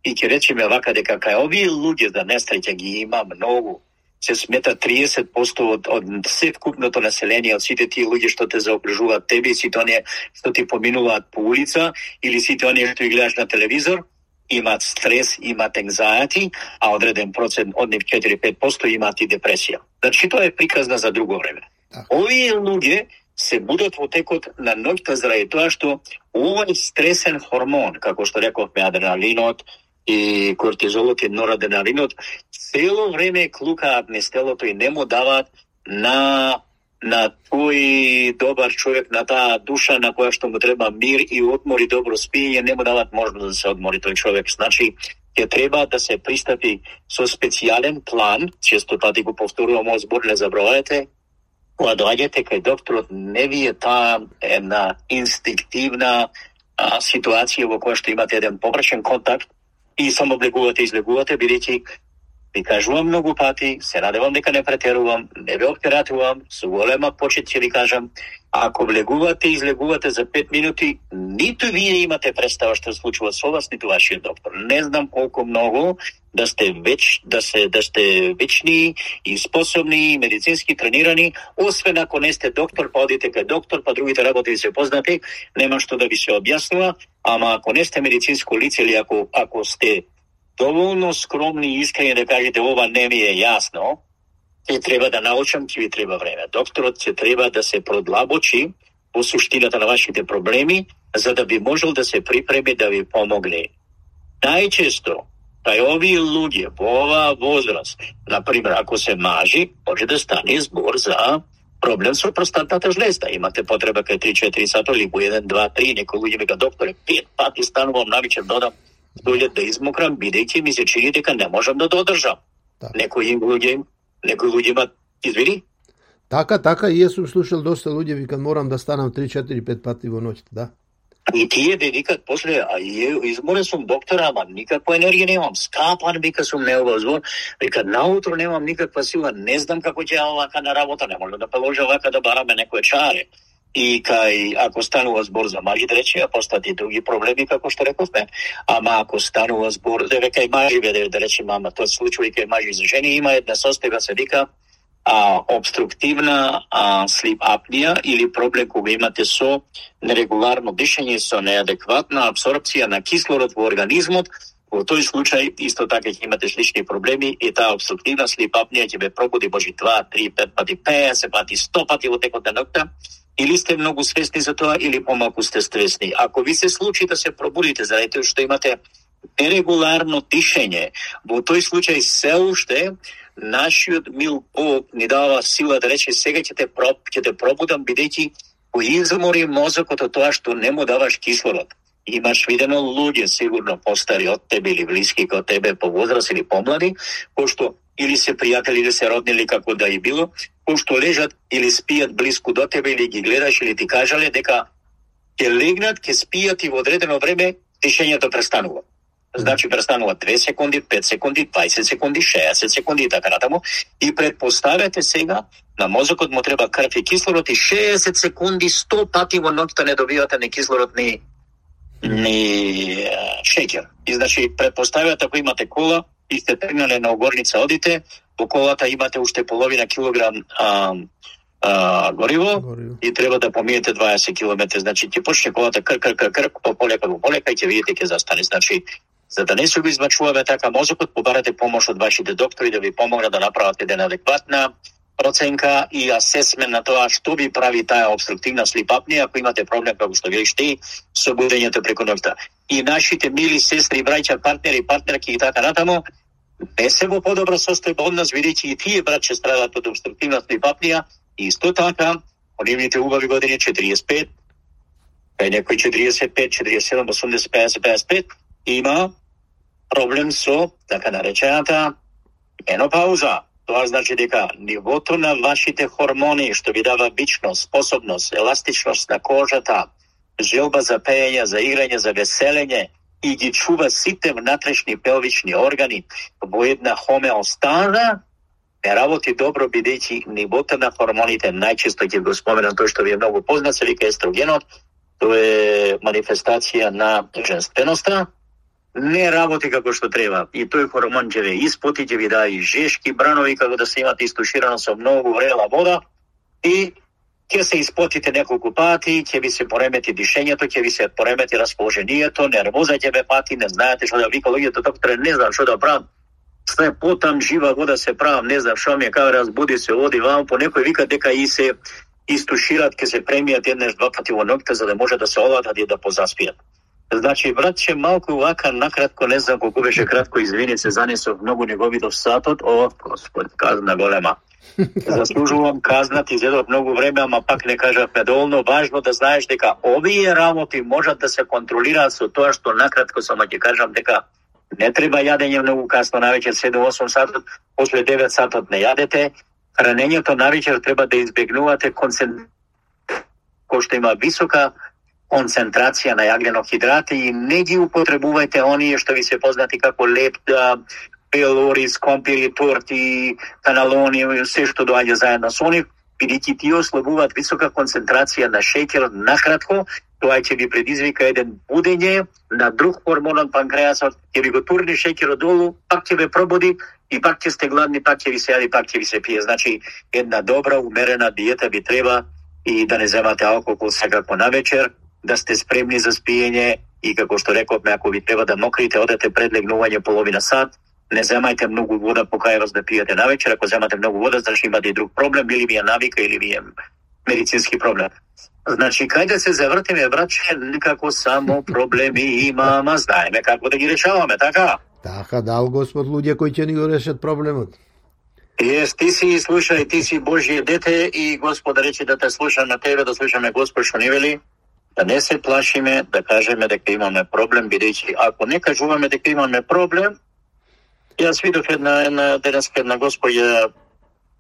и ќе речеме вака дека кај овие луѓе за несреќа ги има многу. Се смета триесет проценти од, од севкупното население, од сите тие луѓе што те заокружуваат тебе и сите оние што ти поминуваат по улица или сите оние што ги гледаш на телевизор, имаат стрес, имаат anxiety, а одреден процент од нив четири-пет проценти имаат и депресија. Значи тоа е приказна за друго време. Овие луѓе се будат во текот на ноќта заради тоа што овој стресен хормон, како што рековме, адреналинот и кортизолот и норадреналинот, цело време клукаат низ телото и не му даваат на на тој добар човек, на таа душа на која што му треба мир и одмор и добро спиење, не му даваат можност да се одмори тој човек. Значи, ќе треба да се пристапи со специјален план, често пати го повторувам овој збор, не забравајте, кога доаѓате кај докторот, не ви е таа една инстинктивна а, ситуација во која што имате еден површен контакт и само влегувате и излегувате, бидејќи Ви кажувам многу пати, се надевам дека не претерувам, не ве оптератувам, со голема почит ќе ви кажам, ако влегувате и излегувате за пет минути, ниту вие имате представа што се случува со вас, ниту вашиот доктор. Не знам колку многу да сте веч, да се да сте вечни и способни, медицински тренирани, освен ако не сте доктор, па одите кај доктор, па другите работи ви се познати, нема што да ви се објаснува, ама ако не сте медицинско лице или ако ако сте доволно скромни и искрени да кажете ова не ми е јасно, ќе треба да научам, ќе ви треба време. Докторот ќе треба да се продлабочи во суштината на вашите проблеми, за да би можел да се припреми да ви помогне. Најчесто, кај овие луѓе во оваа возраст, например, ако се мажи, може да стане збор за проблем со простатната жлезда. Имате потреба кај три-четири сата или по еден, два, три, некои луѓе вика докторе, пет пати станувам навечер додам дојдат да измокрам, бидејќи ми се чини дека не можам да додржам. Да. Некои луѓе, некои луѓе имат, извини? Така, така, и јас сум слушал доста луѓе викат морам да станам три-четири-пет пати во ноќта, да. И тие де викат после, а изморен сум доктора, ама никаква енергија немам, скапан, вика сум неовозвон, вика наутро немам никаква сила, не знам како ќе овака на работа, не може да положа овака да бараме некој чаре. И кај, ако станува збор за мажи, рече, а постати други проблеми, како што рековме. Ама ако станува збор, да кај мажи, да, да речем, ама тоа случува и кај мажи за жени, има една состојба, се вика а, обструктивна а, слип апнија или проблем кога имате со нерегуларно дишење, со неадекватна абсорпција на кислород во организмот. Во тој случај, исто така ќе имате слични проблеми и таа обструктивна слип апнија ќе ве пробуди може два, три, пет пати, петдесет пати, сто пати во текот на ноќта. Или сте многу свесни за тоа, или помалку сте свесни. Ако ви се случи да се пробудите заради тоа што имате нерегуларно дишење, во тој случај се уште нашиот мил Бог ни дава сила да рече сега ќе те проб, ќе те пробудам бидејќи го измори мозокот од тоа што не му даваш кислород. Имаш видено луѓе сигурно постари од тебе или блиски кај тебе по возраст или помлади, кои што или се пријатели или се роднили како да и било, кои што лежат или спијат блиску до тебе или ги гледаш или ти кажале дека ќе легнат, ќе спијат и во одредено време дишењето престанува. Значи престанува две секунди, пет секунди, дваесет секунди, шеесет секунди и така натаму. И предпоставете сега на мозокот му треба крв и кислород и шеесет секунди, сто пати во ноќта не добивате ни кислород ни ни шеќер. И значи предпоставете ако имате кола и сте тргнале на огорница, одите, во колата имате уште половина килограм а, а, гориво, гориво и треба да помиете дваесет километри. Значи ќе почне колата кр кр кр кр по полека по полека и ќе видите ќе застане. Значи за да не се го измачуваме така мозокот, побарате помош од вашите доктори да ви помогнат да направат една адекватна проценка и асесмент на тоа што ви прави таа обструктивна слип апнија ако имате проблем како што велиш ти со будењето преку ноќта. И нашите мили сестри, браќа, партнери, партнерки и така натаму не се во подобра состојба од нас, бидејќи и тие браќа страдат од обструктивна слип апнија и исто така од нивните убави години четириесет и пет, кај некој четириесет и пет, четириесет и седум, осумдесет, педесет, педесет и пет има проблем со така наречената менопауза. Тоа значи дека нивото на вашите хормони што ви дава бичност, способност, еластичност на кожата, желба за пеење, за играње, за веселење и ги чува сите внатрешни пелвични органи во една хомеостаза, не работи добро бидејќи нивото на хормоните најчесто ќе го споменам тој што ви е многу познат, се вика естрогенот, тоа е манифестација на женственоста, не работи како што треба. И тој хормон ќе ве испоти, ќе ви даде и жешки бранови, како да се имате истуширано со многу врела вода и ќе се испотите неколку пати, ќе ви се поремети дишењето, ќе ви се поремети расположението, нервоза ќе ве пати, не знаете што да вика луѓето, докторе, не знам што да правам. Све потам жива вода се правам, не знам што ми е, кај разбуди се, оди вам, по некој вика дека и се истушират, ќе се премијат еднаш два пати во ноќта за да може да се оладат и да позаспијат. Значи, братче, малку вака накратко, не знам колку беше кратко, извини се, занесов многу не го видов сатот, о, Господ, казна голема. Заслужувам казнат, изедов многу време, ама пак не кажавме доволно. Важно да знаеш дека овие работи можат да се контролираат со тоа што накратко само ќе кажам дека не треба јадење многу касно навечер, седум-осум сатот, после девет сатот не јадете. Хранењето навечер треба да избегнувате концентрација, кој што има висока концентрација на јаглено хидрати и не ги употребувајте оние што ви се познати како лед, пелори, скомпири, торти, каналони, се што доаѓа заедно со нив, бидејќи тие ослабуваат висока концентрација на шеќер накратко, тоа ќе ви предизвика еден будење на друг хормон од панкреасот, ќе ви го турни шеќерот долу, пак ќе ве пробуди и пак ќе сте гладни, пак ќе ви се јади, пак ќе ви се пие. Значи, една добра, умерена диета ви треба и да не земате алкохол секако на вечер, да сте спремни за спиење и како што рековме, ако ви треба да мокрите, одете пред легнување половина сат, не земајте многу вода по кај да пиете на вечер, ако земате многу вода, значи имате и друг проблем, или ви е навика, или ви е медицински проблем. Значи, кај да се завртиме, братче, никако само проблеми има, ама знаеме како да ги решаваме, така? Така, дал Господ луѓе кои ќе ни го решат проблемот. Ес, ти си слушај, ти си Божие дете и Господ рече да те слушам на тебе, да слушаме Господ што ни вели, да не се плашиме, да кажеме дека имаме проблем, бидејќи ако не кажуваме дека имаме проблем, јас видов една, една денеска една господја,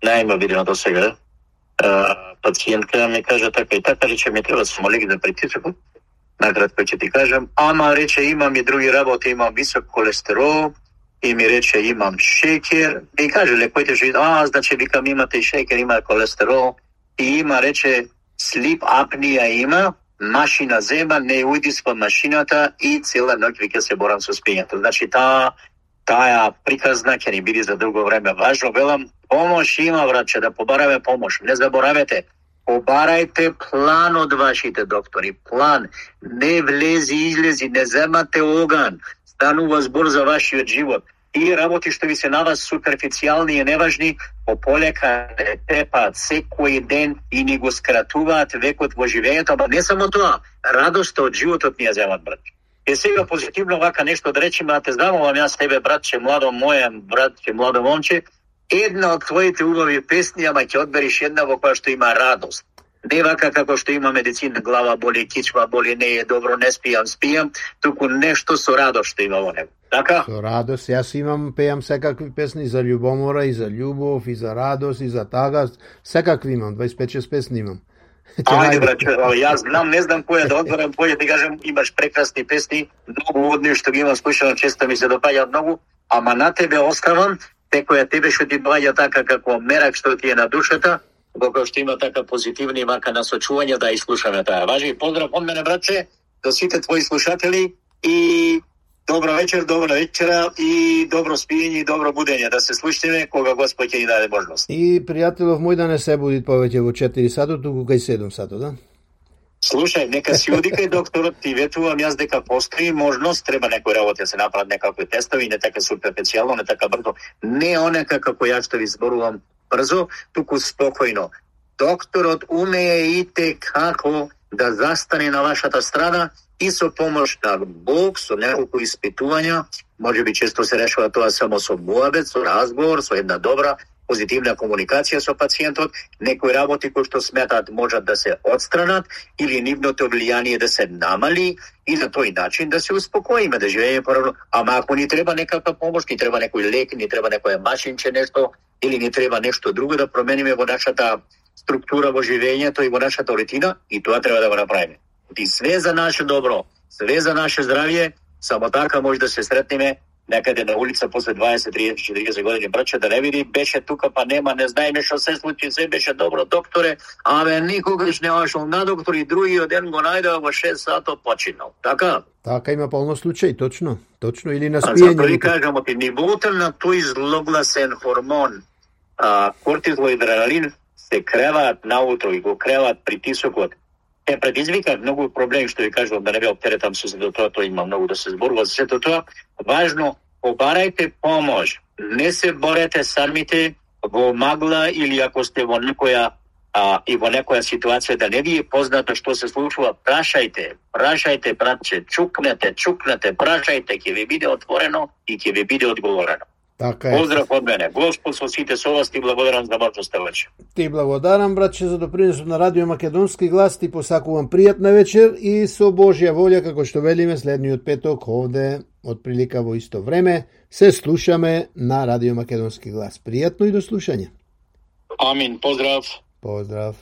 најма видено до сега, пациентка ми кажа така и така, рече ми треба самолеги да притисокот, накратко ќе ти кажам, ама рече имам и други работи, имам висок холестерол, и ми рече имам шеќер, и каже лекоите што а, значи викам имате и шеќер, има холестерол, и има рече слип апнија има, машина зема, не ујдисва машината и цела ноќ вика се борам со спињето. Значи таа таа приказна ќе ни биде за долго време важно. Велам, помош има, братче, да побараме помош. Не заборавете, побарајте план од вашите доктори. План. Не влези, излези, не земате оган. Станува збор за вашиот живот. И работи што ви се на вас суперфицијални и неважни, пополека не тепаат секој ден и ни го скратуваат векот во живењето, ама не само тоа, радоста од животот ни ја земат, братче. Е сега позитивно вака нешто да речеме, а те знамувам јас тебе, братче, младо моје, братче, младо момче, една од твоите убави песни, ама ќе одбериш една во која што има радост. Не вака како што има медицина, глава боли, кичма боли, не е добро, не спијам, спијам, туку нешто со радост што има во него. Така? Со радост, јас имам, пеам секакви песни за љубомора, и за љубов, и за радост, и за тага, секакви имам, дваесет и пет шест песни имам. Ајде, браче, јас знам, не знам која да одберам, која ти кажам, имаш прекрасни песни, многу одни што ги имам слушано, често ми се допаѓаат многу, ама на тебе оставам, те која тебе што ти доаѓа така како мерак што ти е на душата, кога што има така позитивни мака насочување да изслушаме таа. Важи, поздрав од мене, братче, до сите твои слушатели и добро вечер, добра вечера и добро спиење и добро будење, да се слушнеме кога Господ ќе ни даде можност. И пријателов мој да не се буди повеќе во четири сато, туку кај седум сато, да? Слушај, нека си оди кај докторот, ти ветувам јас дека постои можност, треба некој работи да се направат некакви тестови, не така суперфицијално, не така брзо, не онека како јас што ви зборувам брзо, туку спокојно. Докторот умее и те како да застане на вашата страна и со помош на Бог, со неколку испитувања, може би често се решава тоа само со муабет, со разговор, со една добра, позитивна комуникација со пациентот, некои работи кои што сметаат можат да се отстранат или нивното влијание да се намали и на тој начин да се успокоиме, да живееме поравно. Ама ако ни треба некаква помош, ни треба некој лек, ни треба некоја машинче нешто, или ни треба нешто друго да промениме во нашата структура во живењето и во нашата рутина, и тоа треба да го направиме. И све за наше добро, све за наше здравје, само така може да се сретнеме некаде на улица после дваесет, триесет, четириесет години, браче, да не види, беше тука, па нема, не знаеме што се случи, се беше добро, докторе, абе, никогаш не отшол на доктор и другиот ден го најдеа во шест сато починал. Така? Така има полно случаи, точно, точно, или на спиење. Затоа ви кажам, оти нивото на тој злогласен хормон, а, кортизол и адреналин, се креваат наутро и го креваат притисокот. Е предизвика многу проблеми, што ви кажувам, да не ве оптеретам со сето тоа, тоа има многу да се зборува за сето тоа. Важно, побарајте помош. Не се борете самите во магла или ако сте во некоја а, и во некоја ситуација да не ви е познато што се случува, прашајте, прашајте, братче, чукнете, чукнете, прашајте, ќе ви биде отворено и ќе ви биде одговорено. Така е. Поздрав од мене. Господ со сите со вас, ти благодарам за можноста вечер. Ти благодарам, братче, за допринесот на Радио Македонски глас, ти посакувам пријатна вечер и со Божја волја, како што велиме следниот петок овде, од прилика во исто време, се слушаме на Радио Македонски глас. Пријатно и до слушање. Амин, поздрав. Поздрав.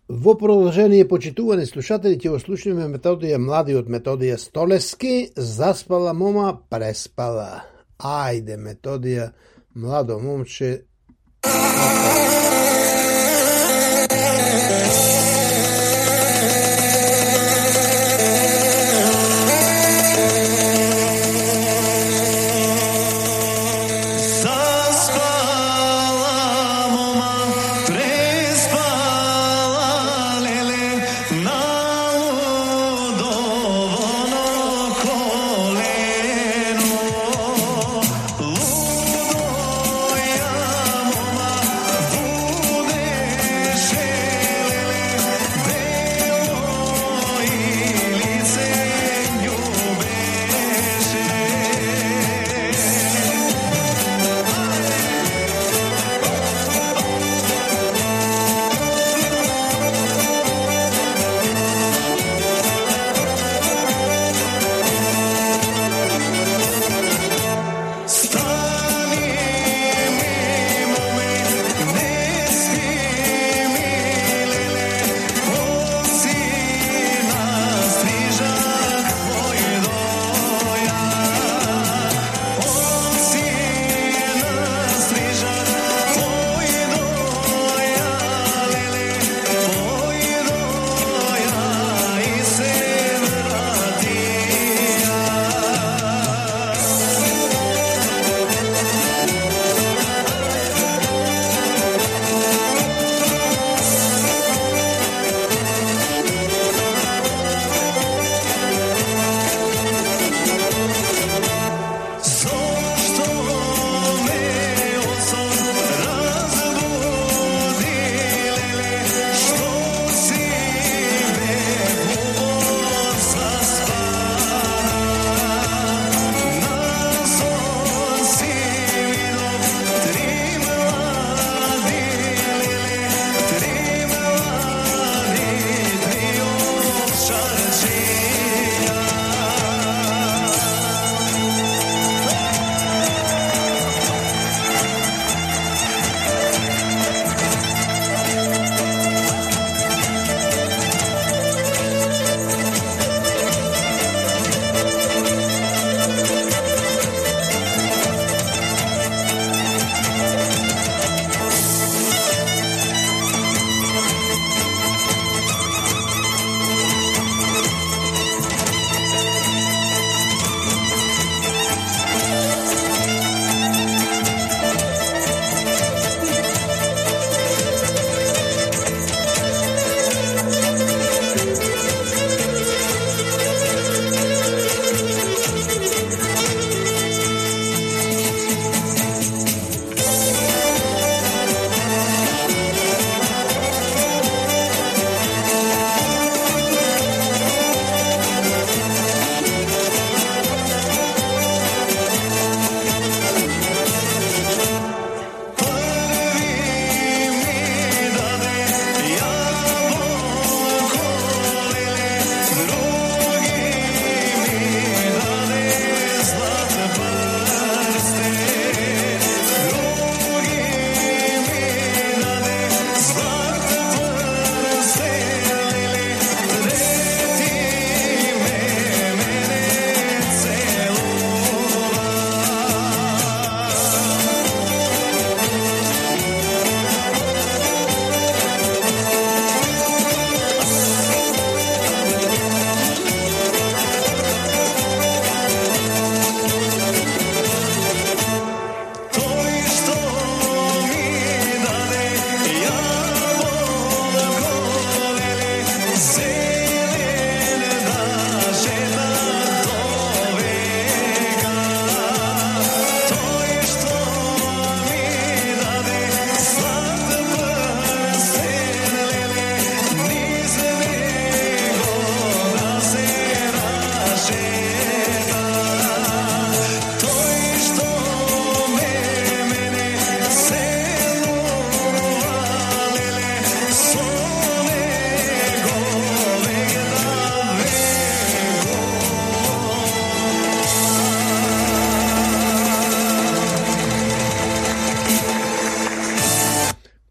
Во продолжение, почитувани слушатели, ќе го слушнеме Методија Млади од Методија Столески, Заспала мома, преспала. Ајде, Методија, младо момче.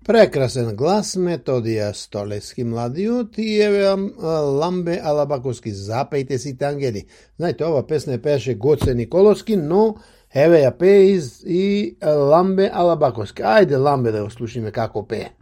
Прекрасен глас, Методија Столески младиот и еве Ламбе Алабаковски, запејте сите ангели. Знаете, ова песна пееше Гоце Николовски, но Еве ја пее из и Ламбе Алабаковски. Ајде Ламбе да го слушаме како пее.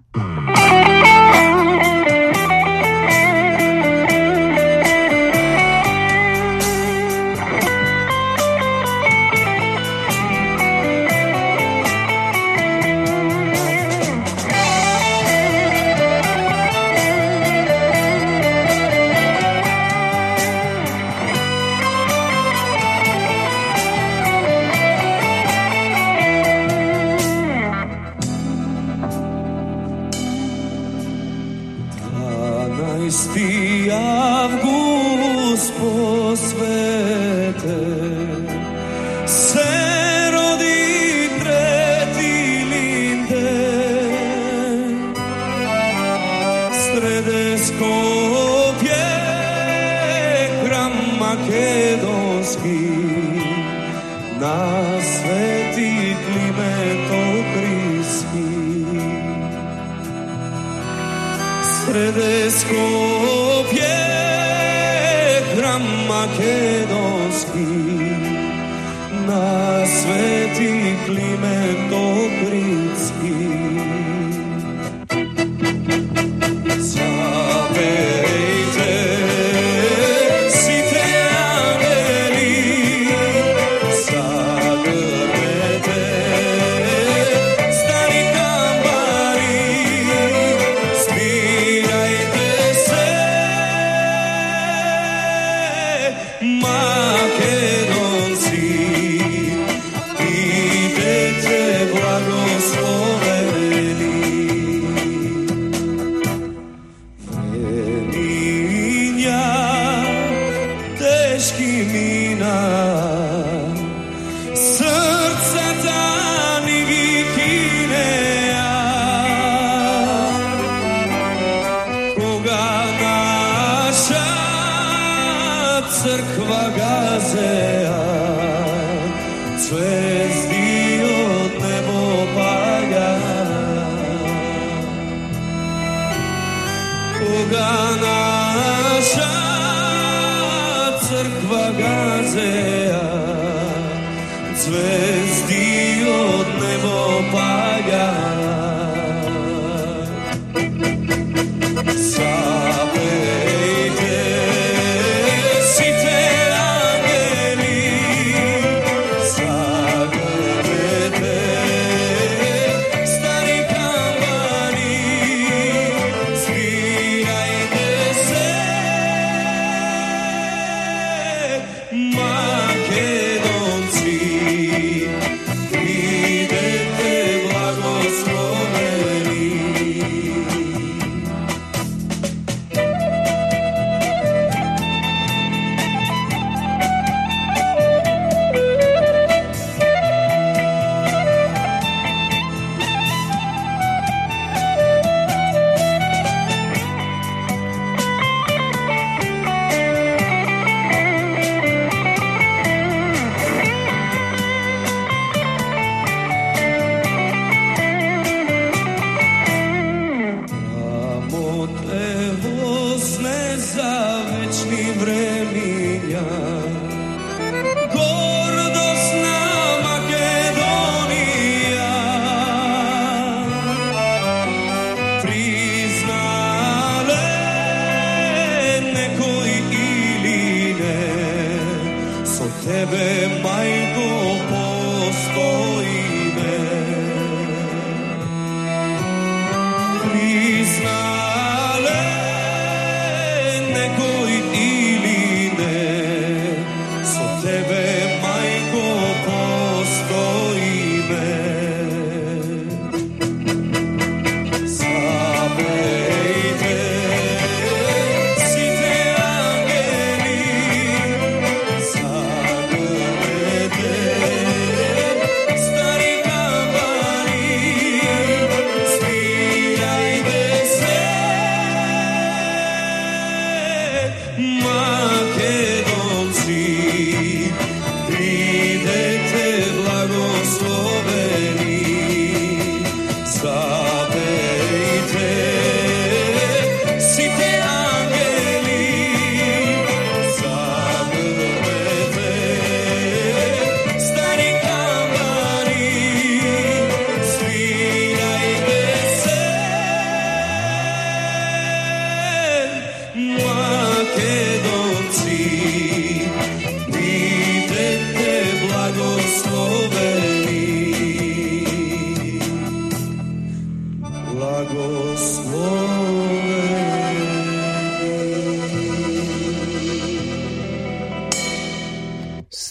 Stop.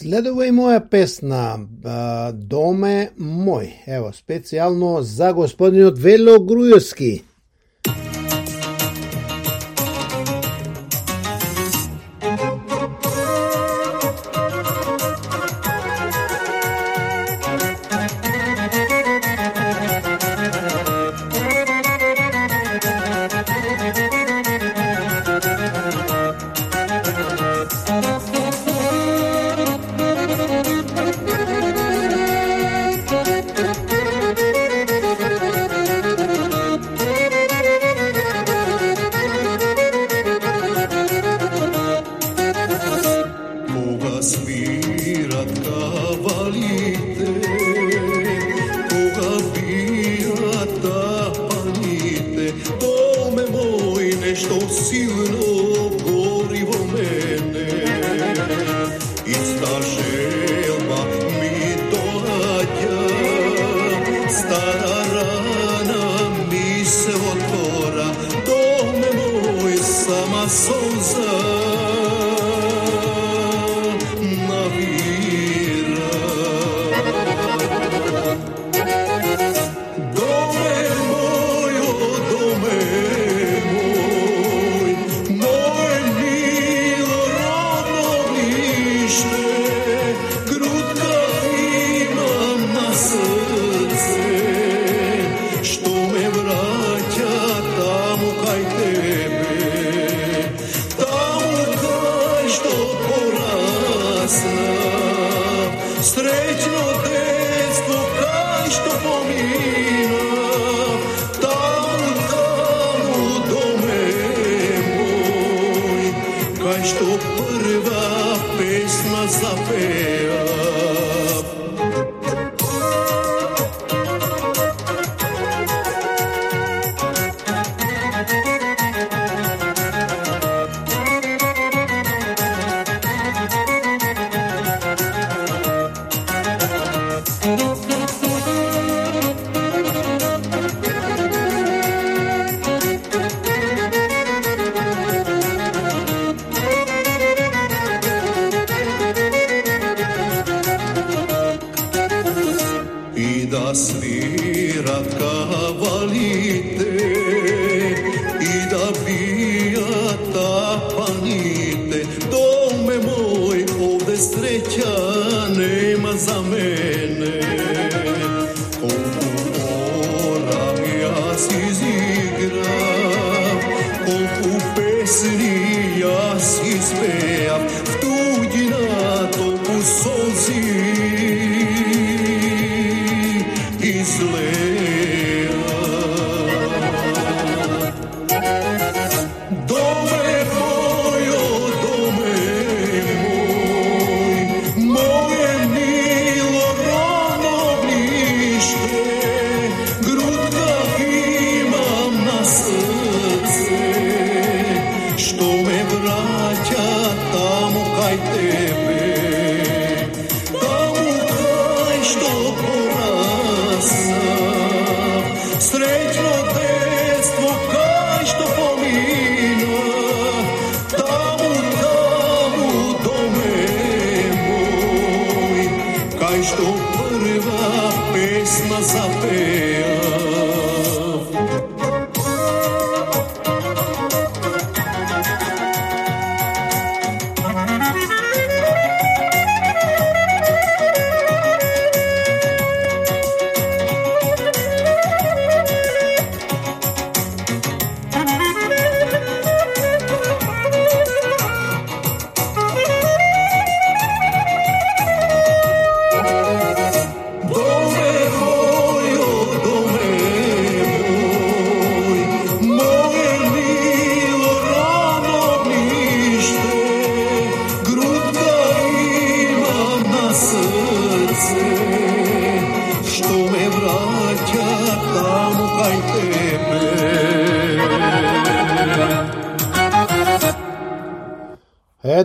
Следува и моја песна Доме мој. Ево, специјално за господинот Вело Груевски.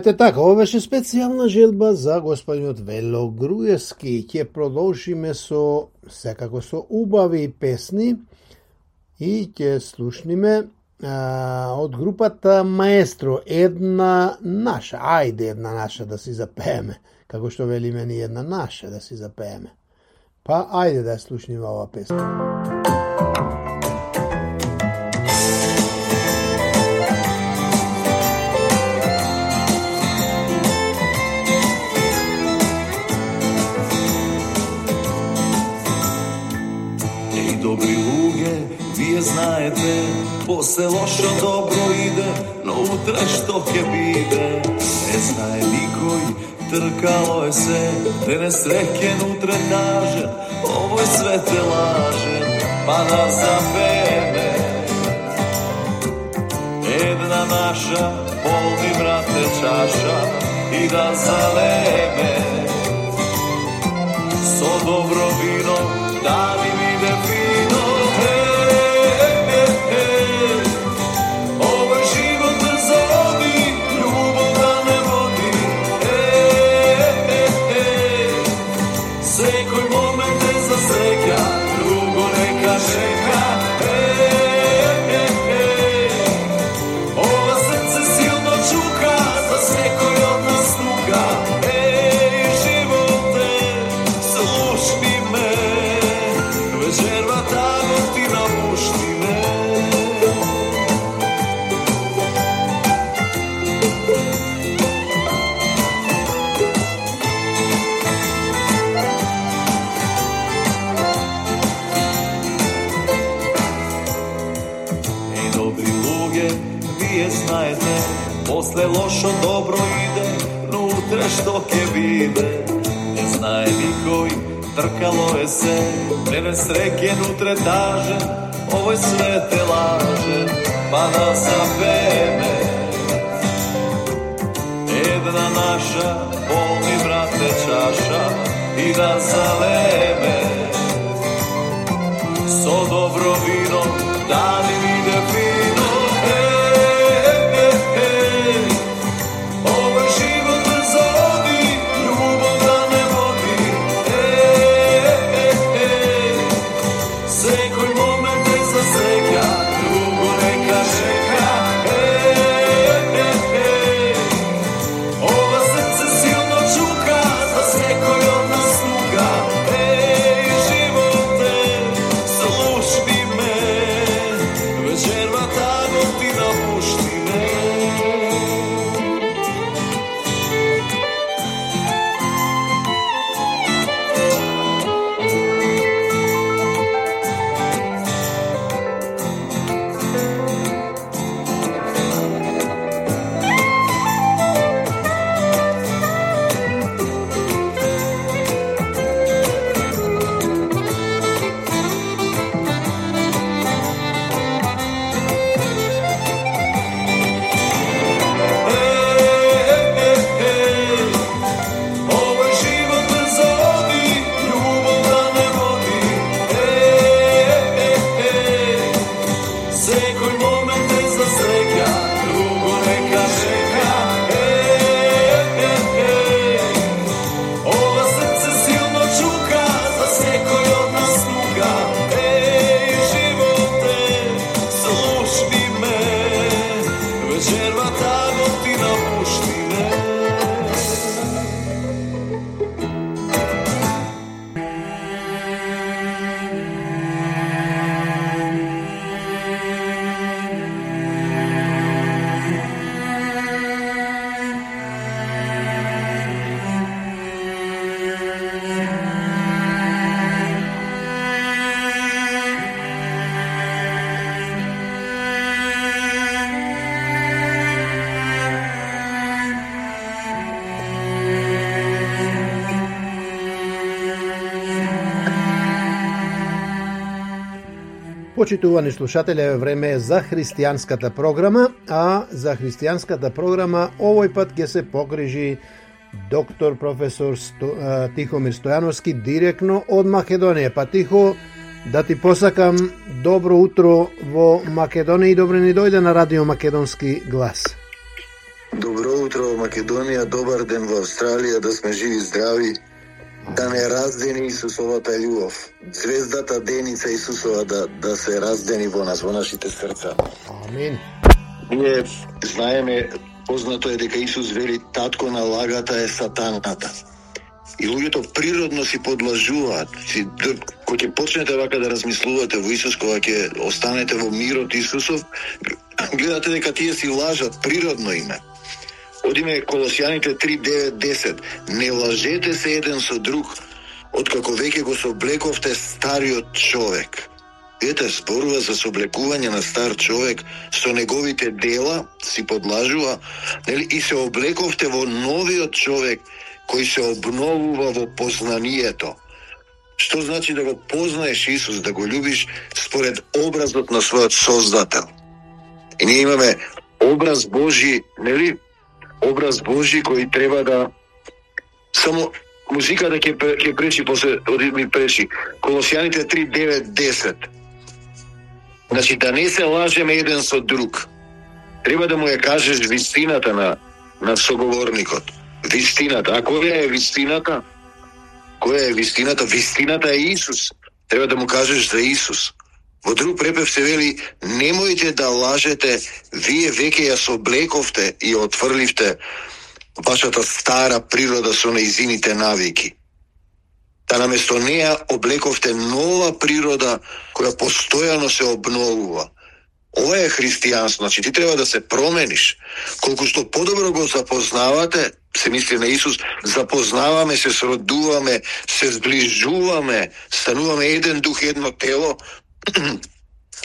Ете така, ова беше специјална желба за господинот Вело Груевски. Ќе продолжиме со, секако со убави песни и ќе слушниме а, од групата Маестро, една наша, ајде една наша да си запееме, како што велиме ни една наша да си запееме. Па ајде да ја слушниме ова песна. Добри луѓе, вие знаете, после лошо добро иде, но утре што ќе биде, не знае никој, тркало е се, денес среќен, утре тажен, овој свет е лажен, па да запееме. Една наша, полни брате чаша, и да залеме, со добро вино, да ни биде фино. После лошо добро иде, но утре што ќе биде, не знае никој, тркало е се, денес среќен, утре тажен, овој свет е лажен, па да запееме. Една наша, полни брате чаша, и да залеме, со добро вино, да ни биде фино. Почитувани слушатели, е време за христијанската програма, а за христијанската програма овој пат ќе се погрижи доктор професор Сто, а, Тихомир Стојановски директно од Македонија. Па Тихо, да ти посакам добро утро во Македонија и добро ни дојде на Радио Македонски глас. Добро утро во Македонија, добар ден во Австралија, да сме живи и здрави. да не раздени Исусовата љубов. Звездата деница Исусова да, да се раздени во нас, во нашите срца. Амин. Ние знаеме, познато е дека Исус вели татко на лагата е сатаната. И луѓето природно си подлажуваат. Си, кога ќе почнете вака да размислувате во Исус, кога ќе останете во мирот Исусов, гледате дека тие си лажат, природно име. Одиме Колосјаните три девет десет. Не лажете се еден со друг, откако веќе го соблековте стариот човек. Ете, зборува за соблекување на стар човек, со неговите дела си подлажува, нели, и се облековте во новиот човек, кој се обновува во познанието. Што значи да го познаеш Исус, да го љубиш според образот на својот Создател. И ние имаме образ Божи, нели? Образ Божи кој треба да... Само музиката ќе ќе пречи, после ми пречи. Колосјаните три девет десет. Значи, да не се лажеме еден со друг. Треба да му ја кажеш вистината на, на соговорникот. Вистината. А која е вистината? Која е вистината? Вистината е Исус. Треба да му кажеш за Исус. Во друг препев се вели, немојте да лажете, вие веќе ја соблековте и отфрливте вашата стара природа со нејзините навики. Да наместо неја облековте нова природа која постојано се обновува. Ова е христијанство, значи ти треба да се промениш. Колку што подобро го запознавате, се мисли на Исус, запознаваме, се сродуваме, се зближуваме, стануваме еден дух, едно тело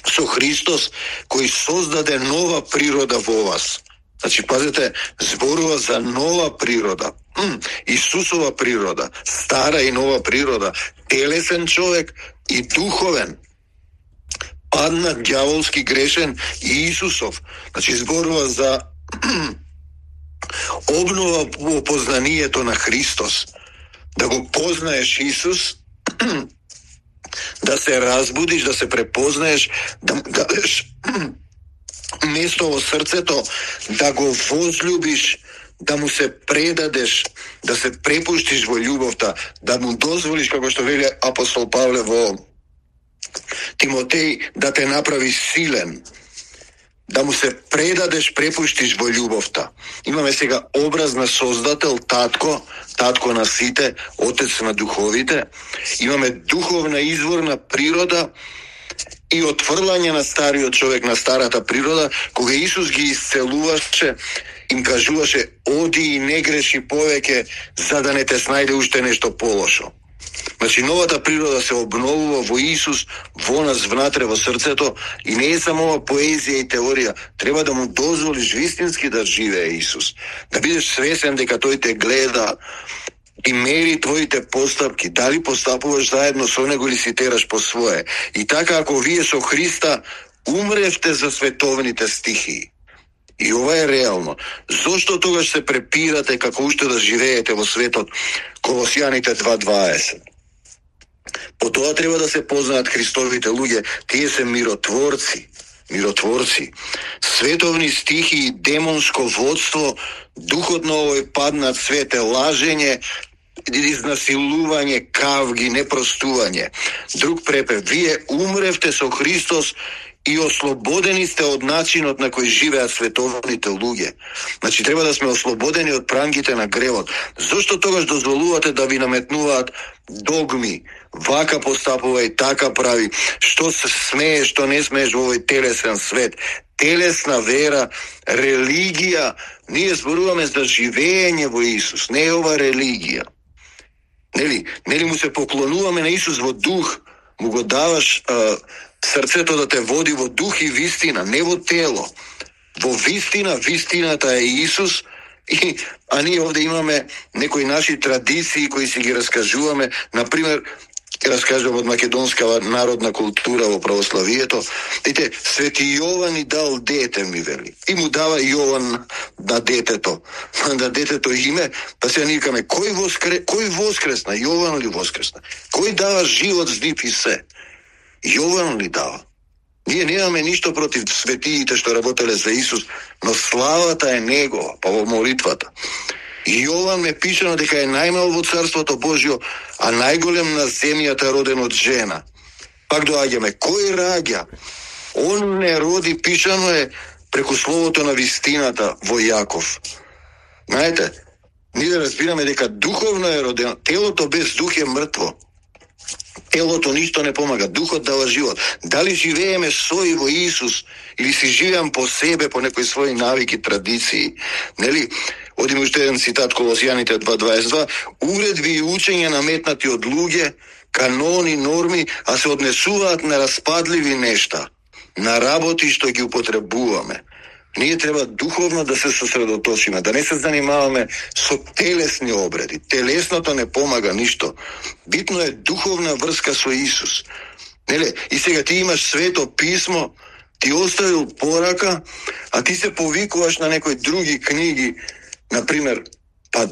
со Христос, кој создаде нова природа во вас. Значи, пазете, зборува за нова природа. Исусова природа, стара и нова природа, телесен човек и духовен. Паднат, ѓаволски, грешен и Исусов. Значи, зборува за обнова во познанието на Христос. Да го познаеш Исус, да се разбудиш, да се препознаеш, да му дадеш место во срцето, да го возлюбиш, да му се предадеш, да се препуштиш во љубовта, да му дозволиш, како што вели апостол Павле во Тимотеј, да те направи силен, да му се предадеш, препуштиш во љубовта. Имаме сега образ на Создател, татко, татко на сите, отец на духовите. Имаме духовна изворна природа и отфрлање на стариот човек, на старата природа, кога Исус ги исцелуваше, им кажуваше, оди и не греши повеќе, за да не те снајде уште нешто полошо. Значи, новата природа се обновува во Исус, во нас, внатре, во срцето, и не е само ова поезија и теорија. Треба да му дозволиш вистински да живее Исус. Да бидеш свесен дека тој те гледа и мери твоите постапки, дали постапуваш заедно со него или си тераш по свое. И така, ако вие со Христа умревте за световните стихии, и ова е реално, зошто тогаш се препирате како уште да живеете во светот? Колосјаните два дваесет. По тоа треба да се познаат Христовите луѓе, тие се миротворци, миротворци. Световни стихи, демонско водство, духот на овој паднат свет е лажење, изнасилување, кавги, непростување. Друг препев, вие умревте со Христос и ослободени сте од начинот на кој живеат световните луѓе. Значи, треба да сме ослободени од прангите на гревот. Зошто тогаш дозволувате да ви наметнуваат догми? Вака постапува и така прави. Што се смее, што не смееш во овој телесен свет. Телесна вера, религија. Ние зборуваме за живење во Исус. Не е ова религија. Нели, нели му се поклонуваме на Исус во дух, му го даваш а, срцето да те води во дух и вистина, не во тело. Во вистина, вистината е Исус, и, а ние овде имаме некои наши традиции кои си ги раскажуваме. Например, раскажувам од македонска народна култура во православието. Ете, Свети Јован ни дал дете, ми вели. И му дава Јован на детето. На детето име, па се никаме, кој, воскре, кој воскресна? Јован ли воскресна? Кој дава живот, здив и се? Јован ли дава? Ние немаме ништо против светиите што работеле за Исус, но славата е Негова, па во молитвата. Јован ме пишано дека е најмал во Царството Божјо, а најголем на земјата роден од жена. Пак доаѓаме, кој раѓа? Он не роди, пишано е преку словото на вистината во Јаков. Знаете, ние да разбираме дека духовно е родено, телото без дух е мртво. Телото ништо не помага, духот дава живот. Дали живееме со и во Исус, или си живеам по себе, по некои своји навики, традиции. Нели? Одиме уште еден цитат, Колосјаните два дваесет и два. Уредби и учења наметнати од луѓе, канони, норми, а се однесуваат на распадливи нешта, на работи што ги употребуваме. Ние треба духовно да се сосредоточиме, да не се занимаваме со телесни обреди. Телесното не помага ништо. Битно е духовна врска со Исус. Неле, и сега ти имаш свето писмо, ти оставил порака, а ти се повикуваш на некои други книги, например, па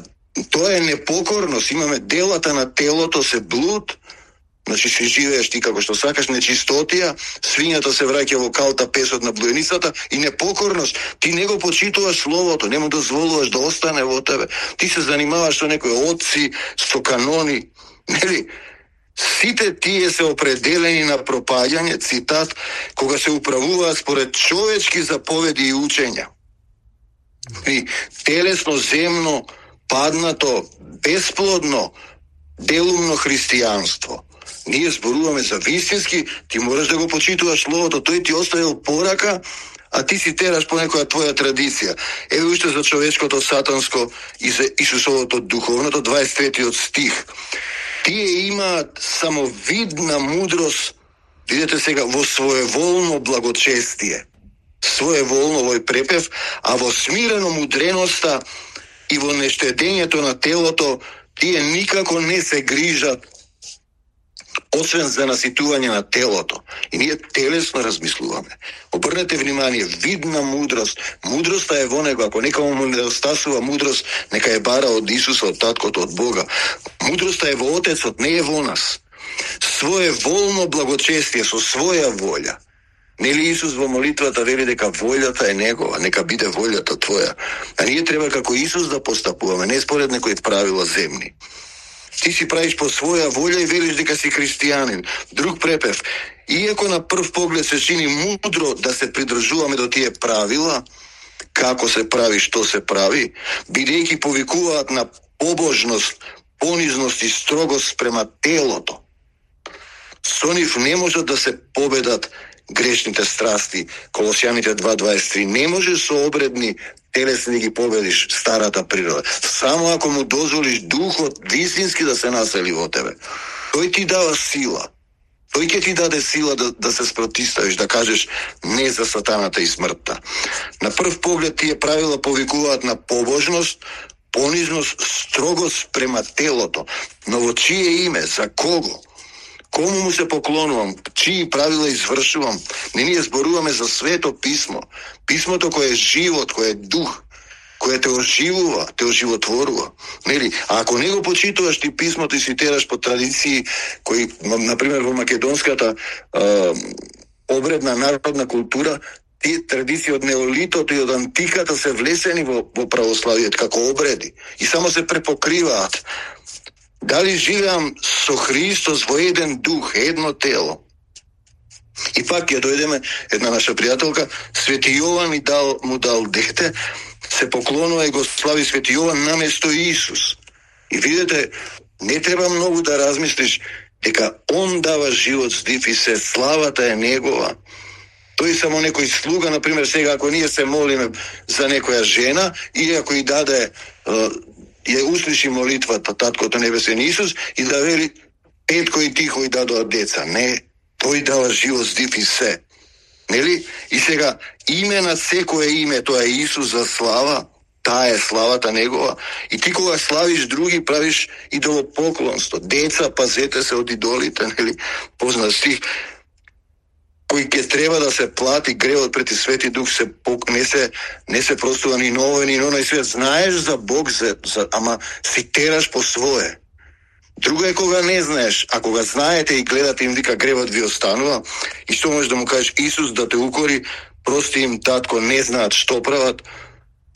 тоа е непокорност, имаме делата на телото се блуд, значи се живееш ти како што сакаш, нечистотија, свињата се враќа во калта песот на блуеницата и непокорност. Ти не го почитуваш словото, не му дозволуваш да остане во тебе. Ти се занимаваш со некои отци, со канони, нели? Сите тие се определени на пропаѓање, цитат, кога се управуваат според човечки заповеди и учења. И телесно, земно, паднато, бесплодно, делумно христијанство. Ние зборуваме за вистински, ти можеш да го почитуваш словото, тој ти оставил порака, а ти си тераш по некоја твоја традиција. Еве уште за човечкото сатанско и за Исусовото духовното, дваесет третиот стих. Тие имаат само видна мудрост, видете сега, во своеволно благочестие. Своеволно овој препев, а во смирено мудреноста и во нештедењето на телото, тие никако не се грижат освен за наситување на телото. И ние телесно размислуваме. Обрнете внимание, видна мудрост. Мудроста е во него. Ако некому му недостасува мудрост, нека е бара од Исуса, од Таткото, од Бога. Мудроста е во Отецот, не е во нас. Своеволно благочестие, со своја волја. Нели Исус во молитвата вели дека волјата е негова, нека биде волјата твоја. А ние треба како Исус да постапуваме, не според некои правила земни. Ти си правиш по своја волја и велиш дека си христијанин. Друг препев. Иако на прв поглед се чини мудро да се придржуваме до тие правила, како се прави, што се прави, бидејќи повикуваат на побожност, понизност и строгост према телото. Со нив не можат да се победат грешните страсти. Колосјаните два дваесет и три. Не може со обредни телесни да ги победиш старата природа. Само ако му дозволиш духот вистински да се насели во тебе. Тој ти дава сила. Тој ќе ти даде сила да, да се спротиставиш, да кажеш не за сатаната и смртта. На прв поглед тие правила повикуваат на побожност, понизност, строгост према телото. Но во чие име, за кого? Кому му се поклонувам, чии правила извршувам? Не ние зборуваме за свето писмо. Писмото кое е живот, кое е дух, кое те оживува, те оживотворува. Нели? А ако не го почитуваш ти писмото и си тераш по традиции кои, например, во македонската е, обредна народна култура, тие традиции од неолитото и од антиката се влесени во, во православието како обреди и само се препокриваат. Дали живеам со Христос во еден дух, едно тело? И пак ја дојдеме, една наша пријателка, Свети Јован ми дал, му дал дете, се поклонува и го слави Свети Јован наместо Исус. И видите, не треба многу да размислиш дека он дава живот здив и се славата е негова. Тој само некој слуга, например, сега ако ние се молиме за некоја жена и ако и даде ја услиши молитвата Таткото Небесен Исус и да вели петко и тихо и дадоа деца. Не, тој дава живот, здив и се. Нели? И сега име на секое име, тоа е Исус за слава, таа е славата негова. И ти кога славиш други, правиш идолопоклонство. Деца, пазете се од идолите, нели? Познат стих, кој ќе треба да се плати гревот пред Свети Дух, се не се не се простува ни ново ни оној свет. Знаеш за Бог, за, за ама си тераш по свое. Друго е кога не знаеш, а кога знаете и гледате им вика гревот ви останува и што можеш да му кажеш Исус да те укори, прости им татко, не знаат што прават.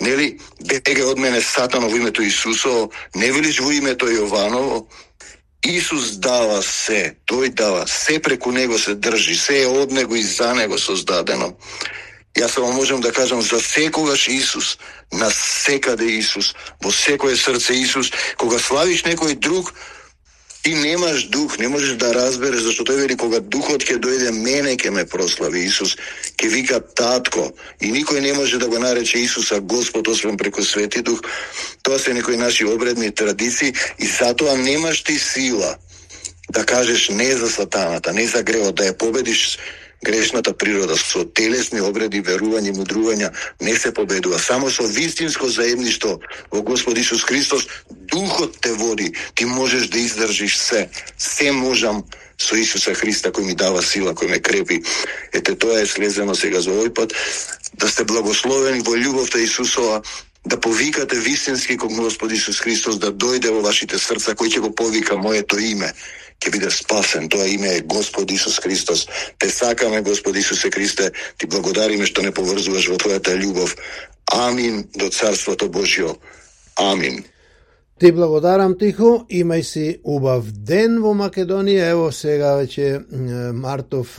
Нели, беге од мене Сатано во името Исусово, не велиш во името Јованово. Исус дава се, тој дава се, преку него се држи, се е од него и за него создадено. Јас само можам да кажам за секогаш Исус, на секаде Исус, во секое срце Исус. Кога славиш некој друг, ти немаш дух, не можеш да разбереш, зашто тој вели кога духот ќе дојде, мене ќе ме прослави. Исус ќе вика татко и никој не може да го нарече Исуса Господ освен преку Свети Дух. Тоа се некои наши обредни традиции и затоа немаш ти сила да кажеш не за сатаната, не за гревот, да ја победиш грешната природа. Со телесни обреди, верување, мудрувања не се победува. Само со вистинско заедништво во Господ Исус Христос, духот те води, ти можеш да издржиш се. Се можам со Исуса Христа кој ми дава сила, кој ме крепи. Ете, тоа е слезено сега за овој пат. Да сте благословени во љубовта Исусова, да повикате вистински кон Господ Исус Христос, да дојде во вашите срца, кој ќе го повика моето име, ќе биде спасен. Тоа име е Господ Исус Христос. Те сакаме, Господ Исусе Христе, ти благодариме што не поврзуваш во твојата љубов. Амин до Царството Божјо. Амин. Ти благодарам, Тихо, имај си убав ден во Македонија. Ево сега веќе мартов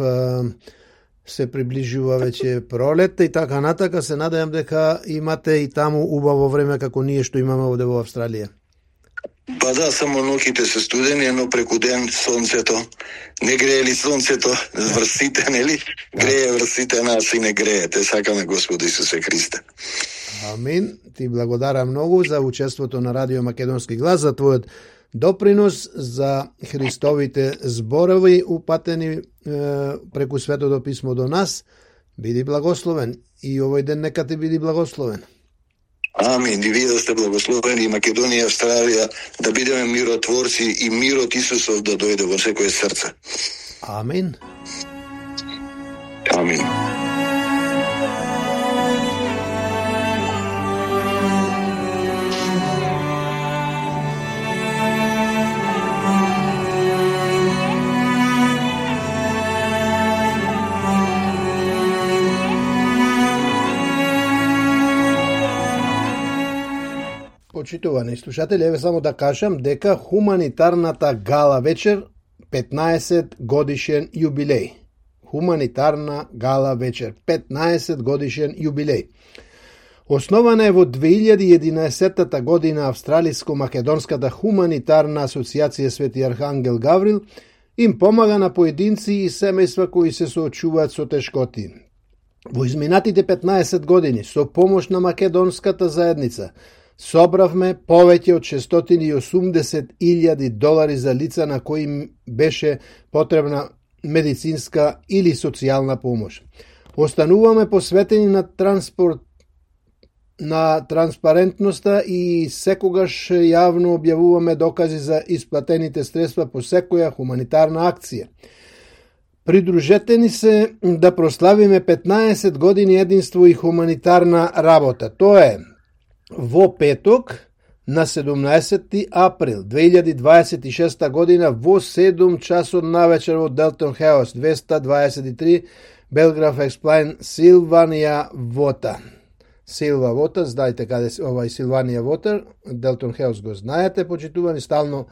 се приближува веќе пролетта и така натака. Се надевам дека имате и таму убаво време како ние што имаме овде во Австралија. Па да, само ноќите се студени, но преку ден сонцето. Не грее ли сонцето врсите, нели? Грее врсите, нас и не грее. Те сакаме Господ Исусе Христе. Амин. Ти благодарам многу за учеството на Радио Македонски глас, за твојот допринос, за Христовите зборови упатени е, преку Светото писмо до нас. Биди благословен и овој ден нека ти биди благословен. Амин. И вие да сте благословени, Македонија и Австралија, да бидеме миротворци и мирот Исусов да дојде во секое срце. Амин. Амин. Почитувани слушатели, еве само да кажам дека хуманитарната гала вечер петнаесет годишен јубилеј. Хуманитарна гала вечер петнаесет годишен јубилеј. Основана е во две илјади и единаесетта година Австралиско-македонската хуманитарна асоциација Свети Архангел Гаврил им помага на поединци и семејства кои се соочуваат со тешкоти. Во изминатите петнаесет години со помош на македонската заедница собравме повеќе од шестстотини и осумдесет илјади долари за лица на кои им беше потребна медицинска или социјална помош. Остануваме посветени на транспорт на транспарентноста и секогаш јавно објавуваме докази за исплатените средства по секоја хуманитарна акција. Придружете ни се да прославиме петнаесет години единство и хуманитарна работа. Тоа е во петок на седумнаесети април две илјади дваесет и шеста година во седум часот навечер во Делтон Хаус двеста дваесет и три Белграф Експлайн, Силванија Вота. Силва Вота, знаете каде овај Силванија Вотер, Делтон Хаус го знаете, почитувани, стално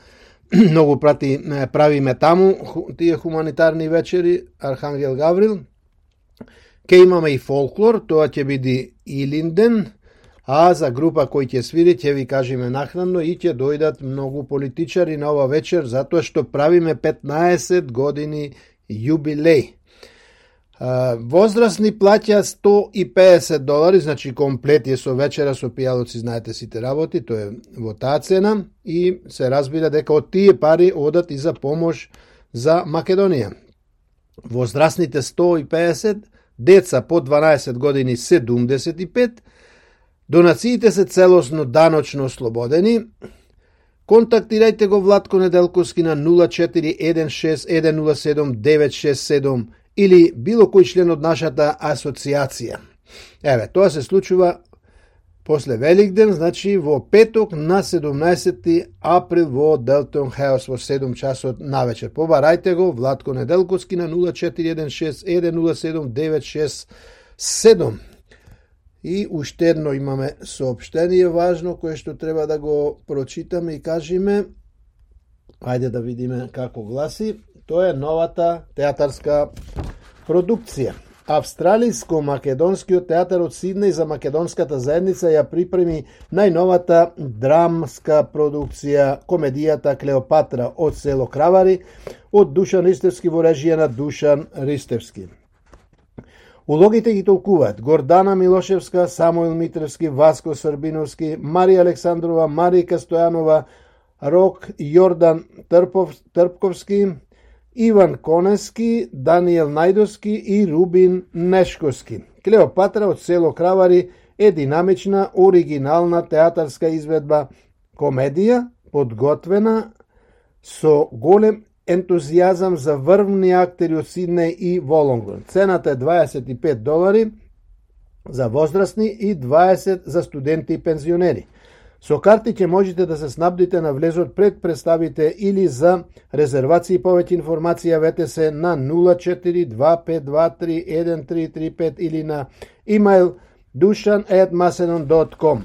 многу прати правиме таму тие хуманитарни вечери, Архангел Гаврил. Ке имаме и фолклор, тоа ќе биде Илинден, а за група кој ќе свири, ќе ви кажеме нахранно и ќе дојдат многу политичари на ова вечер, затоа што правиме петнаесет години јубилеј. Возрастни плаќа сто и педесет долари, значи комплет е со вечера, со пијалоци, знаете сите работи, тоа е во таа цена и се разбира дека од тие пари одат и за помош за Македонија. Возрастните сто и педесет, деца по дванаесет години седумдесет и пет, донациите се целосно даночно ослободени. Контактирајте го Владко Неделковски на нула четири еден шест еден нула седум девет шест седум или било кој член од нашата асоциација. Еве, тоа се случува после Великден, значи во петок на седумнаесети април во Делтон Хаус во седум часот навечер. Побарајте го Владко Неделковски на нула четири еден шест еден нула седум девет шест седум. И уште едно имаме соопштение важно кое што треба да го прочитаме и кажеме. Ајде да видиме како гласи. Тоа е новата театарска продукција. Австралиско-македонскиот театар од Сиднеј за македонската заедница ја припреми најновата драмска продукција, комедијата Клеопатра од село Кравари, од Душан Ристевски во режија на Душан Ристевски. Улогите ги толкуваат Гордана Милошевска, Самуил Митревски, Васко Србиновски, Марија Александрова, Марика Стојанова, Рок Јордан Трпов, Трпковски, Иван Конески, Даниел Најдовски и Рубин Нешковски. Клеопатра од село Кравари е динамична, оригинална театарска изведба, комедија, подготвена со голем ентузијазам за врвни актери од Сиднеј и Волонгон. Цената е дваесет и пет долари за возрастни и дваесет за студенти и пензионери. Со карти ќе можете да се снабдите на влезот пред представите или за резервации и повеќе информација явете се на нула четири два пет два три еден три три пет или на имејл душан ет macedon dot com.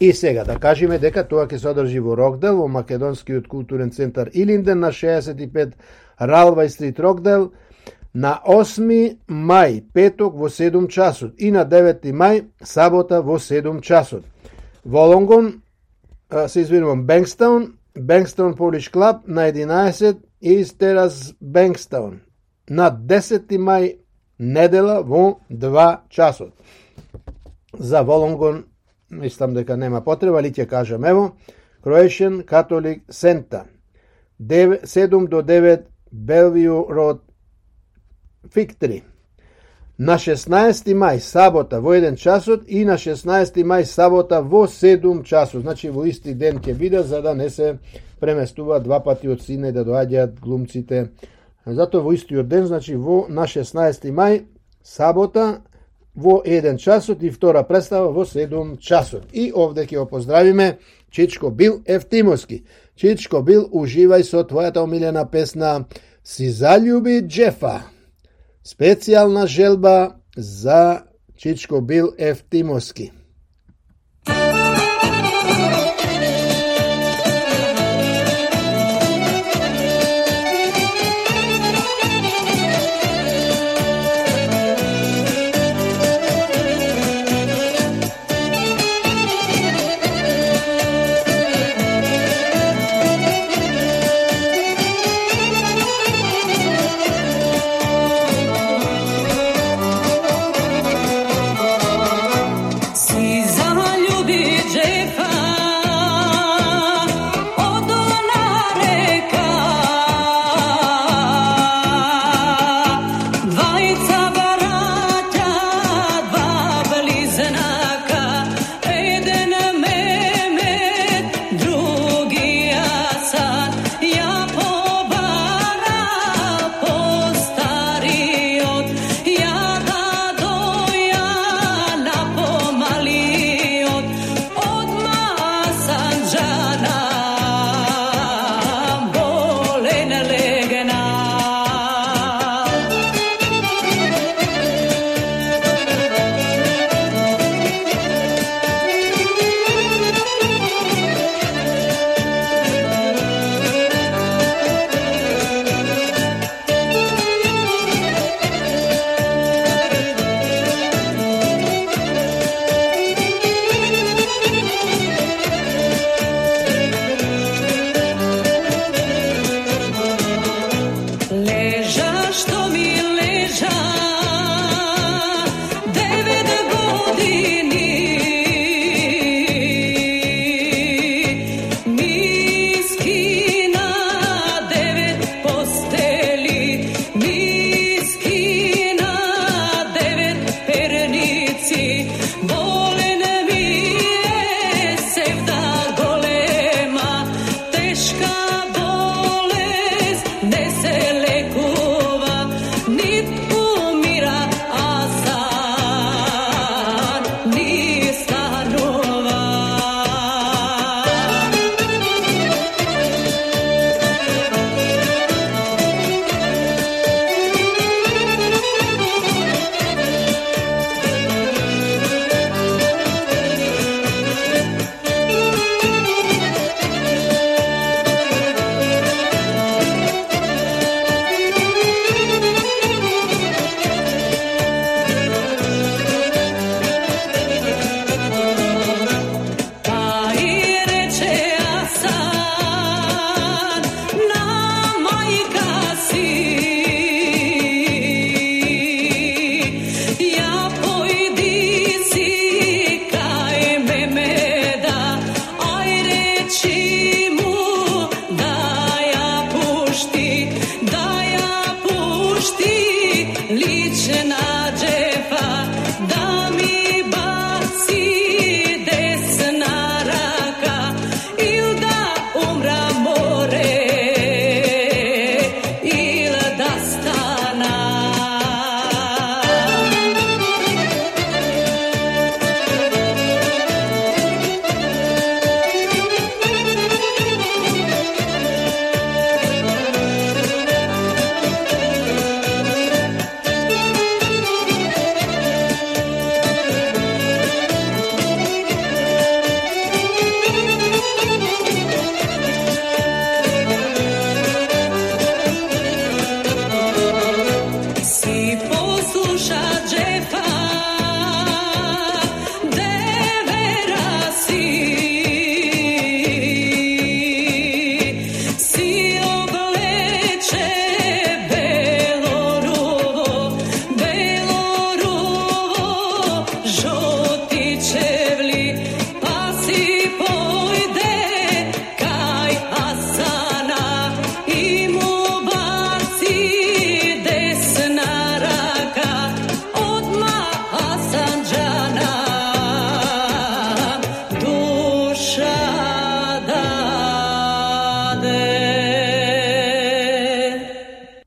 И сега да кажеме дека тоа ќе се одржи во Рокдел, во Македонскиот културен центар Илинден на шеесет и пет Ралвај стрит Рокдел, на осми мај, петок во седум часот и на девети мај, сабота во седум часот. Волонгон, се извинувам, Бенкстаун, Бенкстаун Полиш Клаб на единаесет East Terrace Бенкстаун, на десети мај, недела во два часот. За Волонгон, мислам дека нема потреба, али ќе кажам, ево, Croatian Catholic Center, седум до девет Bellevue Road, Фиктри. На шеснаести мај, сабота, во еден часот и на шеснаести мај, сабота, во седум часот. Значи, во исти ден ќе биде, за да не се преместува два пати од Сиднеј да доаѓаат глумците. Зато во истиот ден, значи, во, на шеснаести мај, сабота, во еден часот и втора представа во седум часот. И овде ќе го поздравиме Чичко Бил Евтимовски. Чичко Бил, уживај со твојата омилена песна Си заљуби Джефа. Специјална желба за Чичко Бил Евтимовски. Si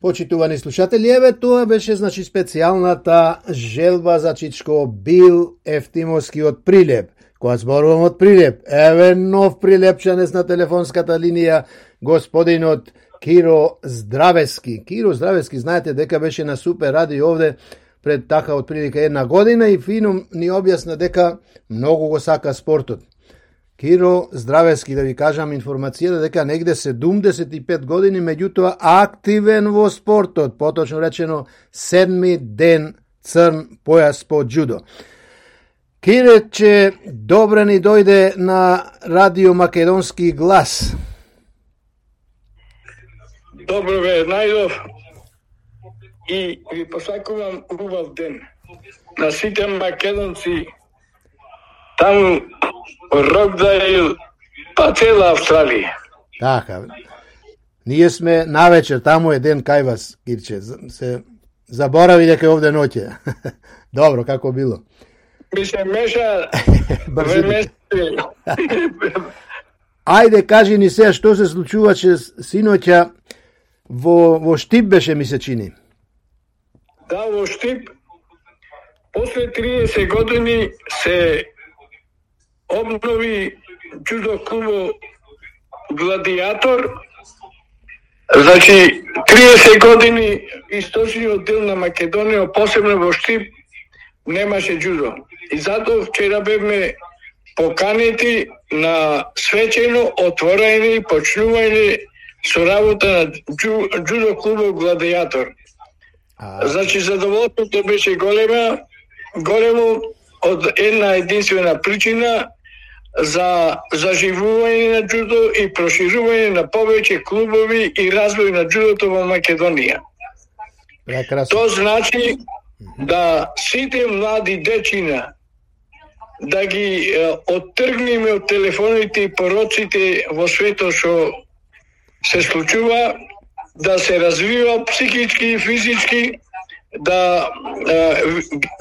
Почитувани слушатели, еве тоа беше значи специјалната желба за Чичко Бил Ефтимовски од Прилеп. Кога зборувам од Прилеп, еве нов прилепчанец на телефонската линија, господинот Киро Здравески. Киро Здравески, знаете дека беше на Супер радио овде пред така од прилика една година и фино ни објасна дека многу го сака спортот. Киро Здравески, да ви кажам информацијата дека негде седумдесет и пет години, меѓутоа активен во спортот, поточно речено седми ден црн појас по џудо. Кирече, добре ни дојде на Радио Македонски глас. Добро ве најдов и ви посакувам убав ден на сите македонци таму Рокдайл, па цела Австралија. Така, ние сме навечер, таму е ден кај вас, Кирче, се заборави дека е овде ноќе. Добро, како било? Ми се меша време. Ајде, кажи ни сега што се случуваше синоќа во, во Штип беше, ми се чини. Да, во Штип, после триесет години се обнови џудо клубо Гладиатор. Значи, триесет години источниот дел на Македонија, посебно во Штип, немаше џудо. И затоа вчера бевме поканети на свечено отворање и почнување со работа на џу, џудо клубо Гладиатор. А... Значи, задоволството беше голема, големо од една единствена причина за заживување на џудо и проширување на повеќе клубови и развој на џудото во Македонија. Прекрасно. Тоа значи да сите млади дечина да ги е, оттргнеме од телефоните и пороците во светот што се случува, да се развива психички и физички, да е,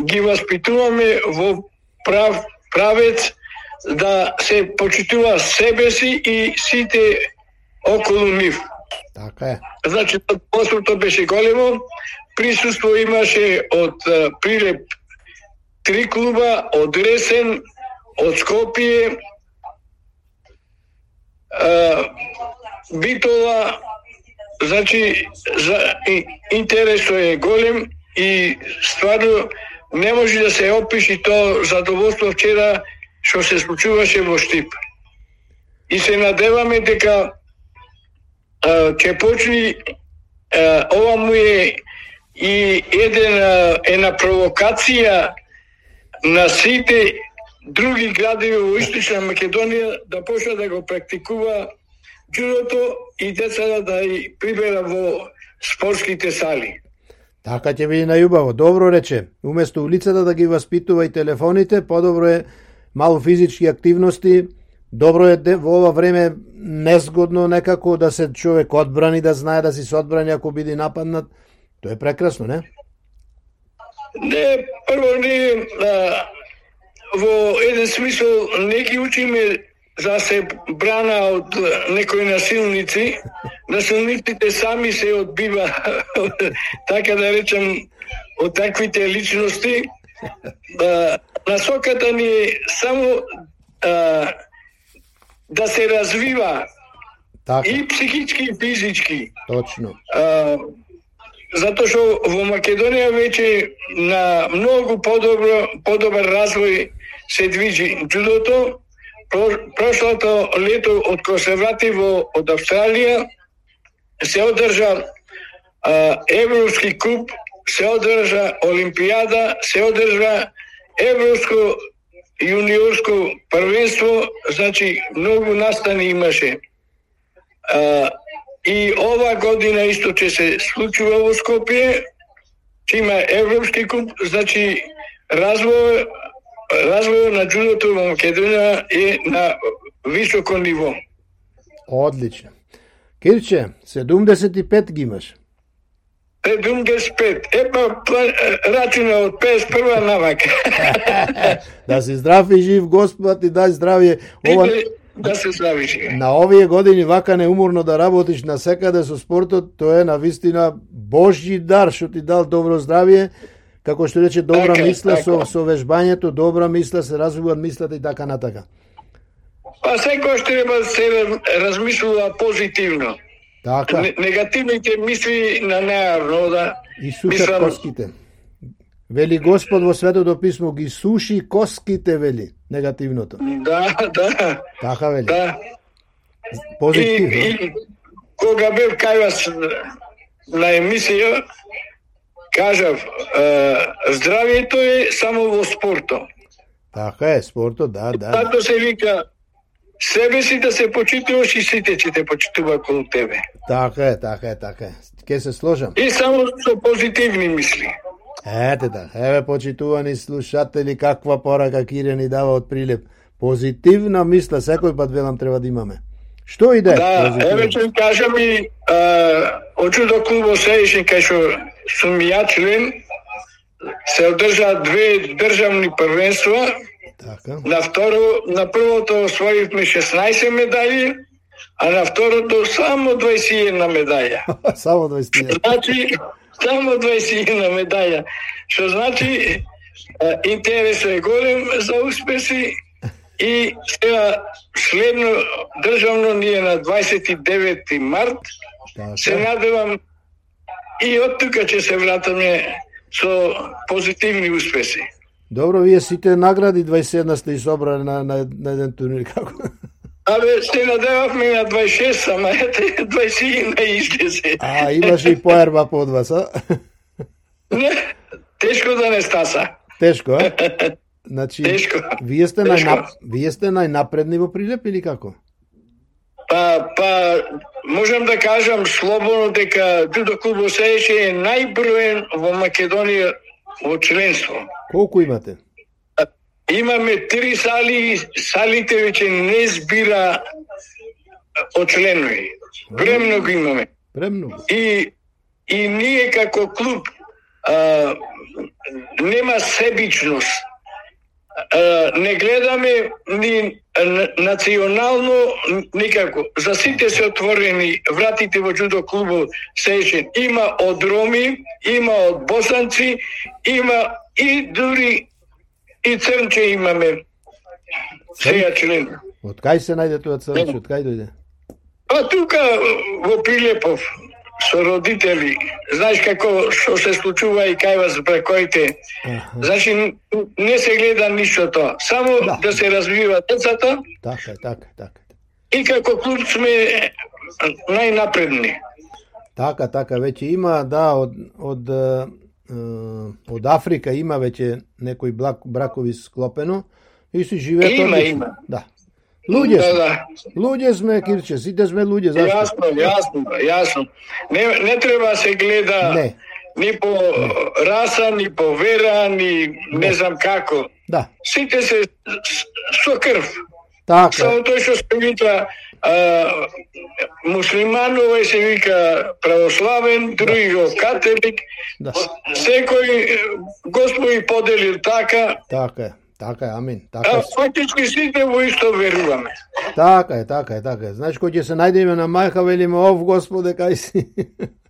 ги воспитуваме во прав правец, да се почитува себе си и сите околу нив. Така е. Значи, посвото беше големо, присуство имаше од uh, Прилеп три клуба, од Ресен, од Скопје, uh, Битола, значи, за, и, интересот е голем и стварно не може да се опиши тоа задоволство вчера што се случуваше во Штип. И се надеваме дека uh, ќе почни uh, ова му е и еден, една провокација на сите други градови во Источна Македонија да почне да го практикува џудото и децата да и прибера во спортските сали. Така ќе биде најубаво. Добро рече. Уместо улицата да ги воспитува и телефоните, подобро е малку физички активности. Добро е во ова време незгодно некако да се човек одбрани, да знае да си се одбрани ако биде нападнат. Тоа е прекрасно, не? Не, прво не, а, во еден смисол не ги учиме за се брана од некои насилници. Насилниците сами се одбива, така да речем, од таквите личности. А, насоката ни е само а, да се развива така. И психички и физички. Точно. А, затоа што во Македонија веќе на многу подобро, подобар развој се движи џудото. Про, прошлото лето од кога се врати во од Австралија се одржа а, Европски куп, се одржа Олимпијада, се одржа Европско јуниорско првенство, значи многу настани имаше. А, И ова година исто ќе се случува во Скопје, ќе има Европски куп, значи развој, развој на џудото во Македонија е на високо ниво. Одлично. Кирче, седумдесет и пет ги имаш. седумдесет и пет. Епа, рачуна од педесет и прва навак. Да си здрав и жив, Господ ти дај здравје. Ова, да се завиши. На овие години вака неуморно да работиш на секаде со спортот, тоа е на вистина Божји дар што ти дал добро здравје, како што рече добра Така, мисла со така. со вежбањето, добра мисла се развиваат мислата и така натака. Па секој што треба да се размислува позитивно. Така. Не- Негативните мисли на неарно да И сушат мислам- коските. Вели Господ во Светото писмо ги суши коските, вели, негативното. Да, да, Така вели. да. И, Позитивно. и кога бев кај вас на емисија, кажав, е, здравието е само во спортот. Така е, спортот, да, да. да. Тато се вика, себе си да се почитуваш и сите ќе те почитува околу тебе. Така е, така е, така е. Ке се сложам. И само со позитивни мисли. Ете да, еве почитувани слушатели, каква порака Кире ни дава од Прилеп. Позитивна мисла, секој пат велам треба да имаме. Што иде? Да, позитивно? еве ќе кажам и од Джудо клубот Сеишин, кај што сум ја член, се одржаа две државни првенства. Така. На второ, на првото освоивме шеснаесет медаји, а на второто само дваесет и една медаја. Само дваесет и една. Значи, само дваесет и една медаја. Што значи, е, интересот е голем за успеси и сега следно државно ни е на дваесет и девети март. Се Така. надевам и од тука ќе се вратаме со позитивни успеси. Добро, вие сите награди дваесет и една сте и собрали на, на, на еден турнир, како? Абе, се надевавме на дваесет и шест, ама ете, дваесет и една излезе. А, имаше и поерба под вас, а? Не, тешко да не стаса. Тешко, а? Значи, Тешко. вие сте, Тешко. најнап... вие сте најнапредни во Прилеп или како? Па, па, можам да кажам слободно дека Джудо клубот Сеишин е најброен во Македонија во членство. Колку имате? Имаме три сали, салите веќе не збира очленови. Премногу имаме. Премногу. И, и ние како клуб а, нема себичност. А, не гледаме ни а, национално никако. За сите се отворени вратите во Джудо клубот Сеишин. Има од роми, има од босанци, има и дури и црнче имаме. Сега член. Од кај се најде тоа црнче? Од кај дојде? А тука во Прилепов со родители, знаеш како што се случува и кај вас бракоите. Аха. Значи не се гледа ништо тоа, само Да. да, се развива децата Така е, така е, така е. и како клуб сме најнапредни. Така, така, веќе има, да, од, од, е, од Африка има веќе некои блак, бракови склопено и си живеат Има, одлично. има. Да. Луѓе Да, сме, да. луѓе сме, Кирче, сите сме луѓе, зашто? Јасно, јасно, јасно. Не, не треба да се гледа Не. ни по раса, ни по вера, ни не знам како. Да, Сите се с- со крв. така, Само тој што се вика а, муслиман, овој се вика православен, други го католик. да, Секој е, Господ и поделил така, така е, така е, амин, така а е, фактички сите во исто веруваме. така е, така е, така е. Знаеш, кој ќе се најдеме на мајка, велиме, ов, Господе, кај си?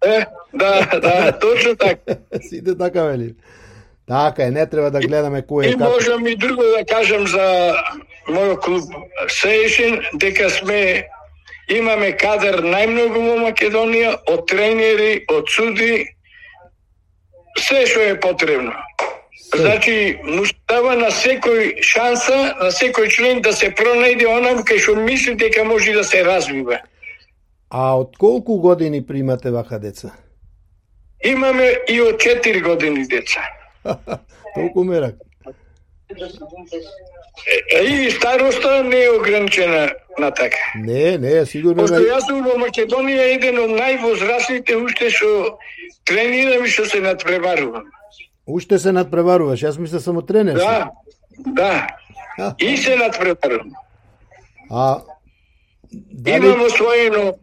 Е, да, да, точно така. Сите така вели. Така е, не треба да гледаме кој И е како. можам и друго да кажам за мојот клуб Сеишин, дека сме имаме кадар најмногу во Македонија, од тренери, од суди, се што е потребно. Значи, му се дава на секој шанса, на секој член да се пронајде онам кај што мисли дека може да се развива. А од колку години примате вака деца? Имаме и од четири години деца. Толку мерак. Е, И староста не е ограничена на така. Не, не, сигурно Пошто не. јас сум во Македонија еден од највозрастните уште што тренирам и што се надпреварувам. Уште се надпреваруваш, јас мисля само тренер. си. Да, да. И се надпреварувам. А дали Имам освоено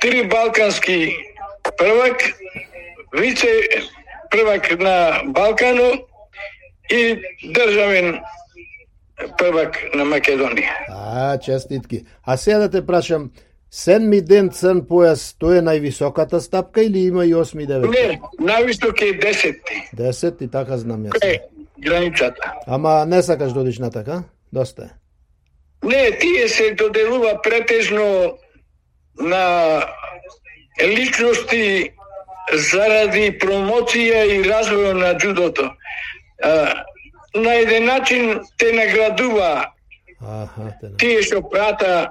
три балкански првак, вице првак на Балкано и државен првак на Македонија. А, честитки. А сега да те прашам, седми ден црн појас, тоа е највисоката стапка или има и осми и девети? Не, највисок е десетти. Десет и така знам јас. Е, границата. Ама не сакаш да одиш на така? Доста е. Не, тие се доделува претежно на личности заради промоција и развој на джудото. А, на еден начин те наградува Аха, те не. тие што прата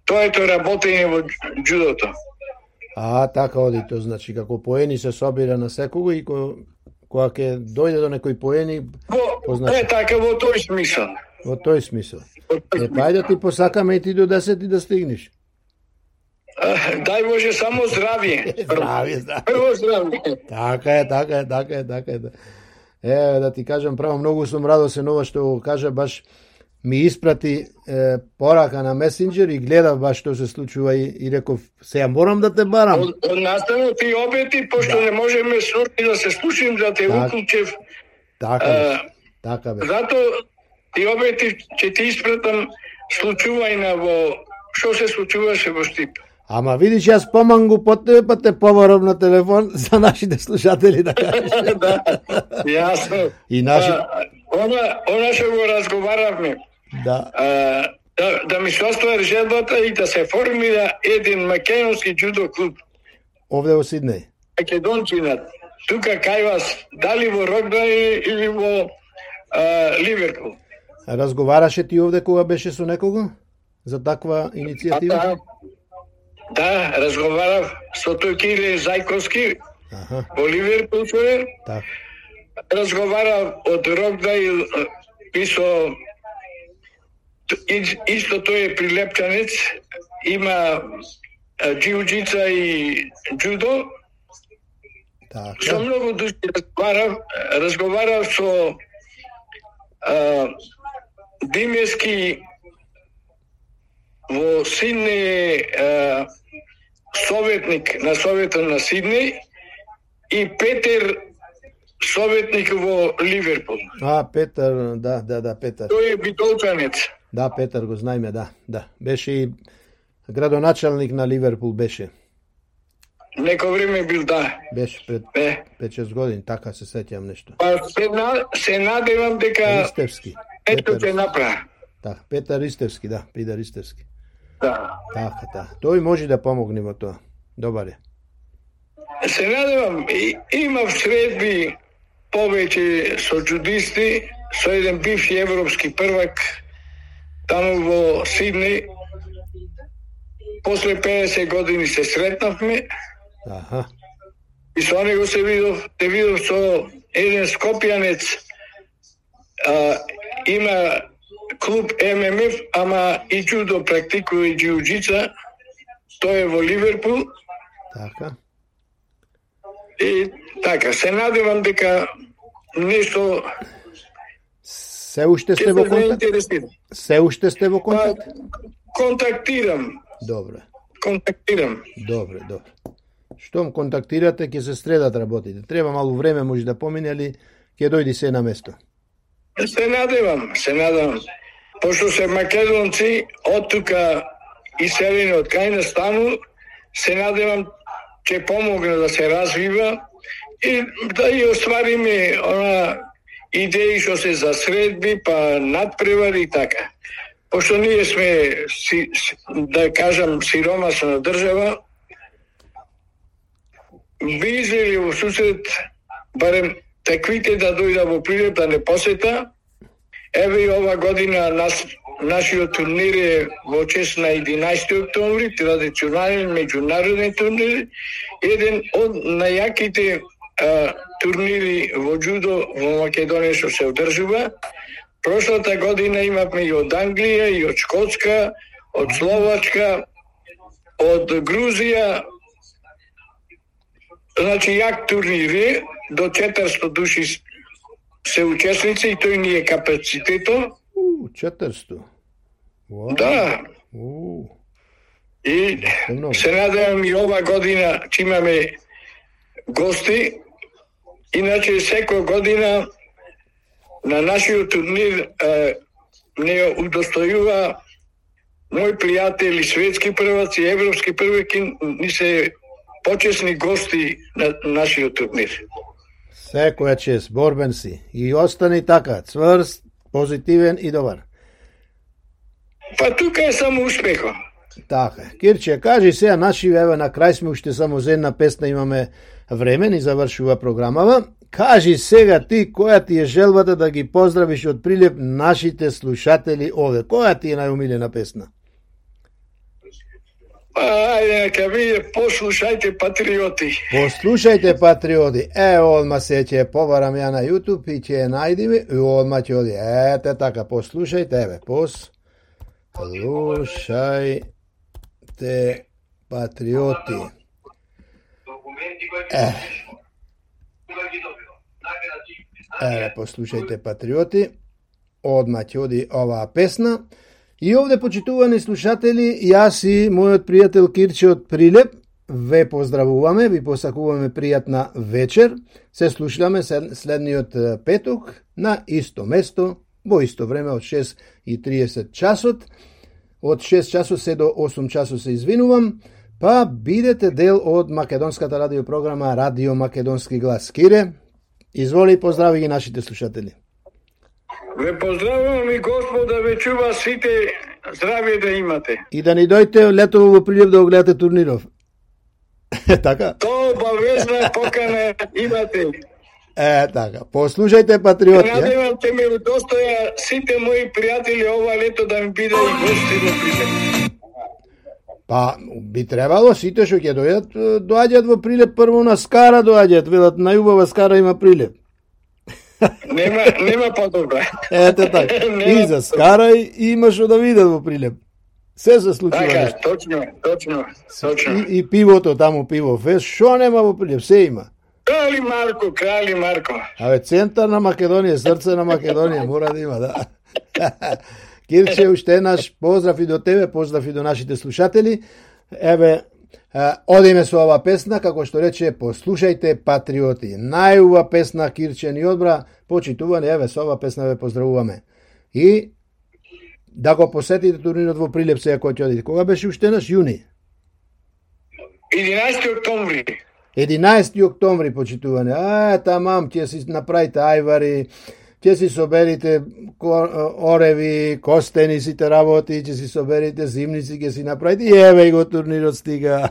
тоето работење во джудото. А, така оди тоа, значи, како поени се собира на секого и ко, кога ќе дојде до некој поени, Во, позначи. е така во тој смисол. во тој смисол. Во тој Е, па ајде ти посакаме и ти до десет и да стигнеш. А, дај Боже само здравје. Здравје, здравје. Прво здравје. Така е, така е, така е, така е. Е, да ти кажам право, многу сум радосен ова што го кажа, баш ми испрати е, порака на месенџер и гледав баш што се случува и, и реков, сега морам да те барам. Од, од настанот и обети, пошто не можеме сурни да се слушим за те Так. уклучев. Така бе, така бе. Зато и обети ќе ти испратам случувајна во што се случуваше во Штип. Ама видиш, јас помам го по тебе, па те поварам на телефон за нашите слушатели да кажеш. Да, јасно. И наши... А, Она, она што го разговаравме, Да. а, да, да ми се оствари желбата и да се формира еден македонски джудо клуб. Овде во Сиднеј. Македонцинат. Тука кај вас, дали во Рокдај или во а, Ливерпул. Разговараше ти овде кога беше со некого за таква иницијатива? Да, да, разговарав со тој Кире Зајковски Аха, во Ливерпул човек. така. Разговарав од Рокдај и со и- исто тој е прилепчанец, има а, джиу-джица и джудо. Со Така. многу души разговарав, разговарав со а, Димески во Сиднеј а, советник на Советот на Сиднеј и Петер советник во Ливерпул. А, Петар, да, да, да, Петар. Тој е битолчанец. Да, Петар го знаеме, да, да. Беше и градоначалник на Ливерпул беше. Некој време бил, да. Беше пред Е, пет-шест години, така се сеќам нешто. па се, на, се надевам дека Ристевски. ето Петар, ќе направи. така, Петар Ристевски, да, Пидар Ристевски. Да. Така, така. Тој може да помогне во тоа. Добар е. Се надевам, и, имав средби повеќе со джудисти, со еден бивши европски првак таму во Сиднеј. После педесет години се сретнавме Аха, и со него се видов, се видов со еден скопјанец, а, има клуб Ем Ем Еф, ама и джудо практикува и джиу-джица, тој е во Ливерпул. така. И така, се надевам дека нешто Се уште ќе сте во се контакт? заинтересира. Се уште сте во Па, контакт? контактирам, Добре, контактирам. добре, добре. Штом контактирате, ќе се средат работите. Треба малку време, може да помине, али ќе дојди се на место. Се надевам, се надевам. Пошто се македонци од тука иселени од кај настану, се надевам ќе помогне да се развива и да и оствариме она идеи што се за средби, па надпревари и така. Пошто ние сме, си, да кажам, сиромасна држава, би излели во сусрет, барем таквите да дојда во Прилеп да не посета. Еве и ова година нас, нашиот турнир е во чест на единаесети октомври, традиционален меѓународен турнир, еден од најаките а, турнири во джудо во Македонија што се одржува. Прошлата година имавме и од Англија, и од Шкотска, од Словачка, од Грузија. Значи, јак турнири, до четиристотини души се учесници и тој ни е капацитето. У, четиристотини. Уау. Да, У, и Много. се надевам и ова година ќе имаме гости. Иначе секоја година на нашиот турнир е, не удостојува мои пријатели, светски прваци, европски прваки, ни се почесни гости на нашиот турнир. Секоја чест, борбен си. И остани така, цврст, позитивен и добар. Па тука е само успехот. Така, Кирче, кажи сега, наши, еве, на крај сме уште само за една песна, имаме време, ни завршува програмава. Кажи сега ти, која ти е желбата да ги поздравиш од Прилеп нашите слушатели овде? Која ти е најомилена песна? Ајде, нека виде, послушајте патриоти. Послушајте патриоти. Е, одма се ќе побарам ја на YouTube и ќе ја најдиме и одма ќе оди. Ете така, послушајте, еве, послушајте патриоти. Е. Еве, послушајте патриоти. Одма ќе оди оваа песна. И овде, почитувани слушатели, јас и мојот пријател Кирче од Прилеп ве поздравуваме, ви посакуваме пријатна вечер. Се слушаме следниот петок на исто место, во исто време од шест и триесет часот. Од шест часот се до осум часот се извинувам, па бидете дел од македонската радиопрограма Радио Македонски глас. Кире, изволи и поздрави ги нашите слушатели. Ве поздравувам и Господ да ве чува сите, здравје да имате. И да ни дојдете летово во Прилеп да го гледате турниров. Така? То обавезна покана имате. Е, така. Послушајте патриоти. Надевам те ме удостоја сите мои пријатели ова лето да ми биде и гости во Прилеп. Па, би требало сите што ќе дојдат, доаѓаат во Прилеп, прво на Скара доаѓаат, велат најубава Скара има Прилеп. Нема, нема подобра. Ете така. И за Скара и има што да видат во Прилеп. Се се случува така, нешто. точно, точно, точно. И, и пивото таму, пиво фест, што нема во Прилеп, се има. Крали Марко, крали Марко. Абе, центар на Македонија, срце на Македонија, мора да има, да. Кирче, уште наш поздрав и до тебе, поздрав и до нашите слушатели. Еве, одиме со ова песна, како што рече, послушајте патриоти. Најубава песна Кирче ни одбра, почитувани, еве, со ова песна ве поздравуваме. И да го посетите турнирот во Прилеп сега кој ќе одите. Кога беше уште наш јуни? единаесети октомври. единаесети октомври, почитувани. А, тамам, ќе си направите ајвари, ќе си соберите ореви, костени, сите работи, ќе си соберите зимници, ќе си направите и еве го турнирот стига.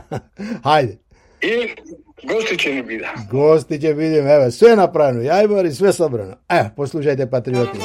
Хајде. И гости ќе ни биде. Гости ќе видим, еве, све направено, јајбари, све собрано. Е, послушајте патриоти.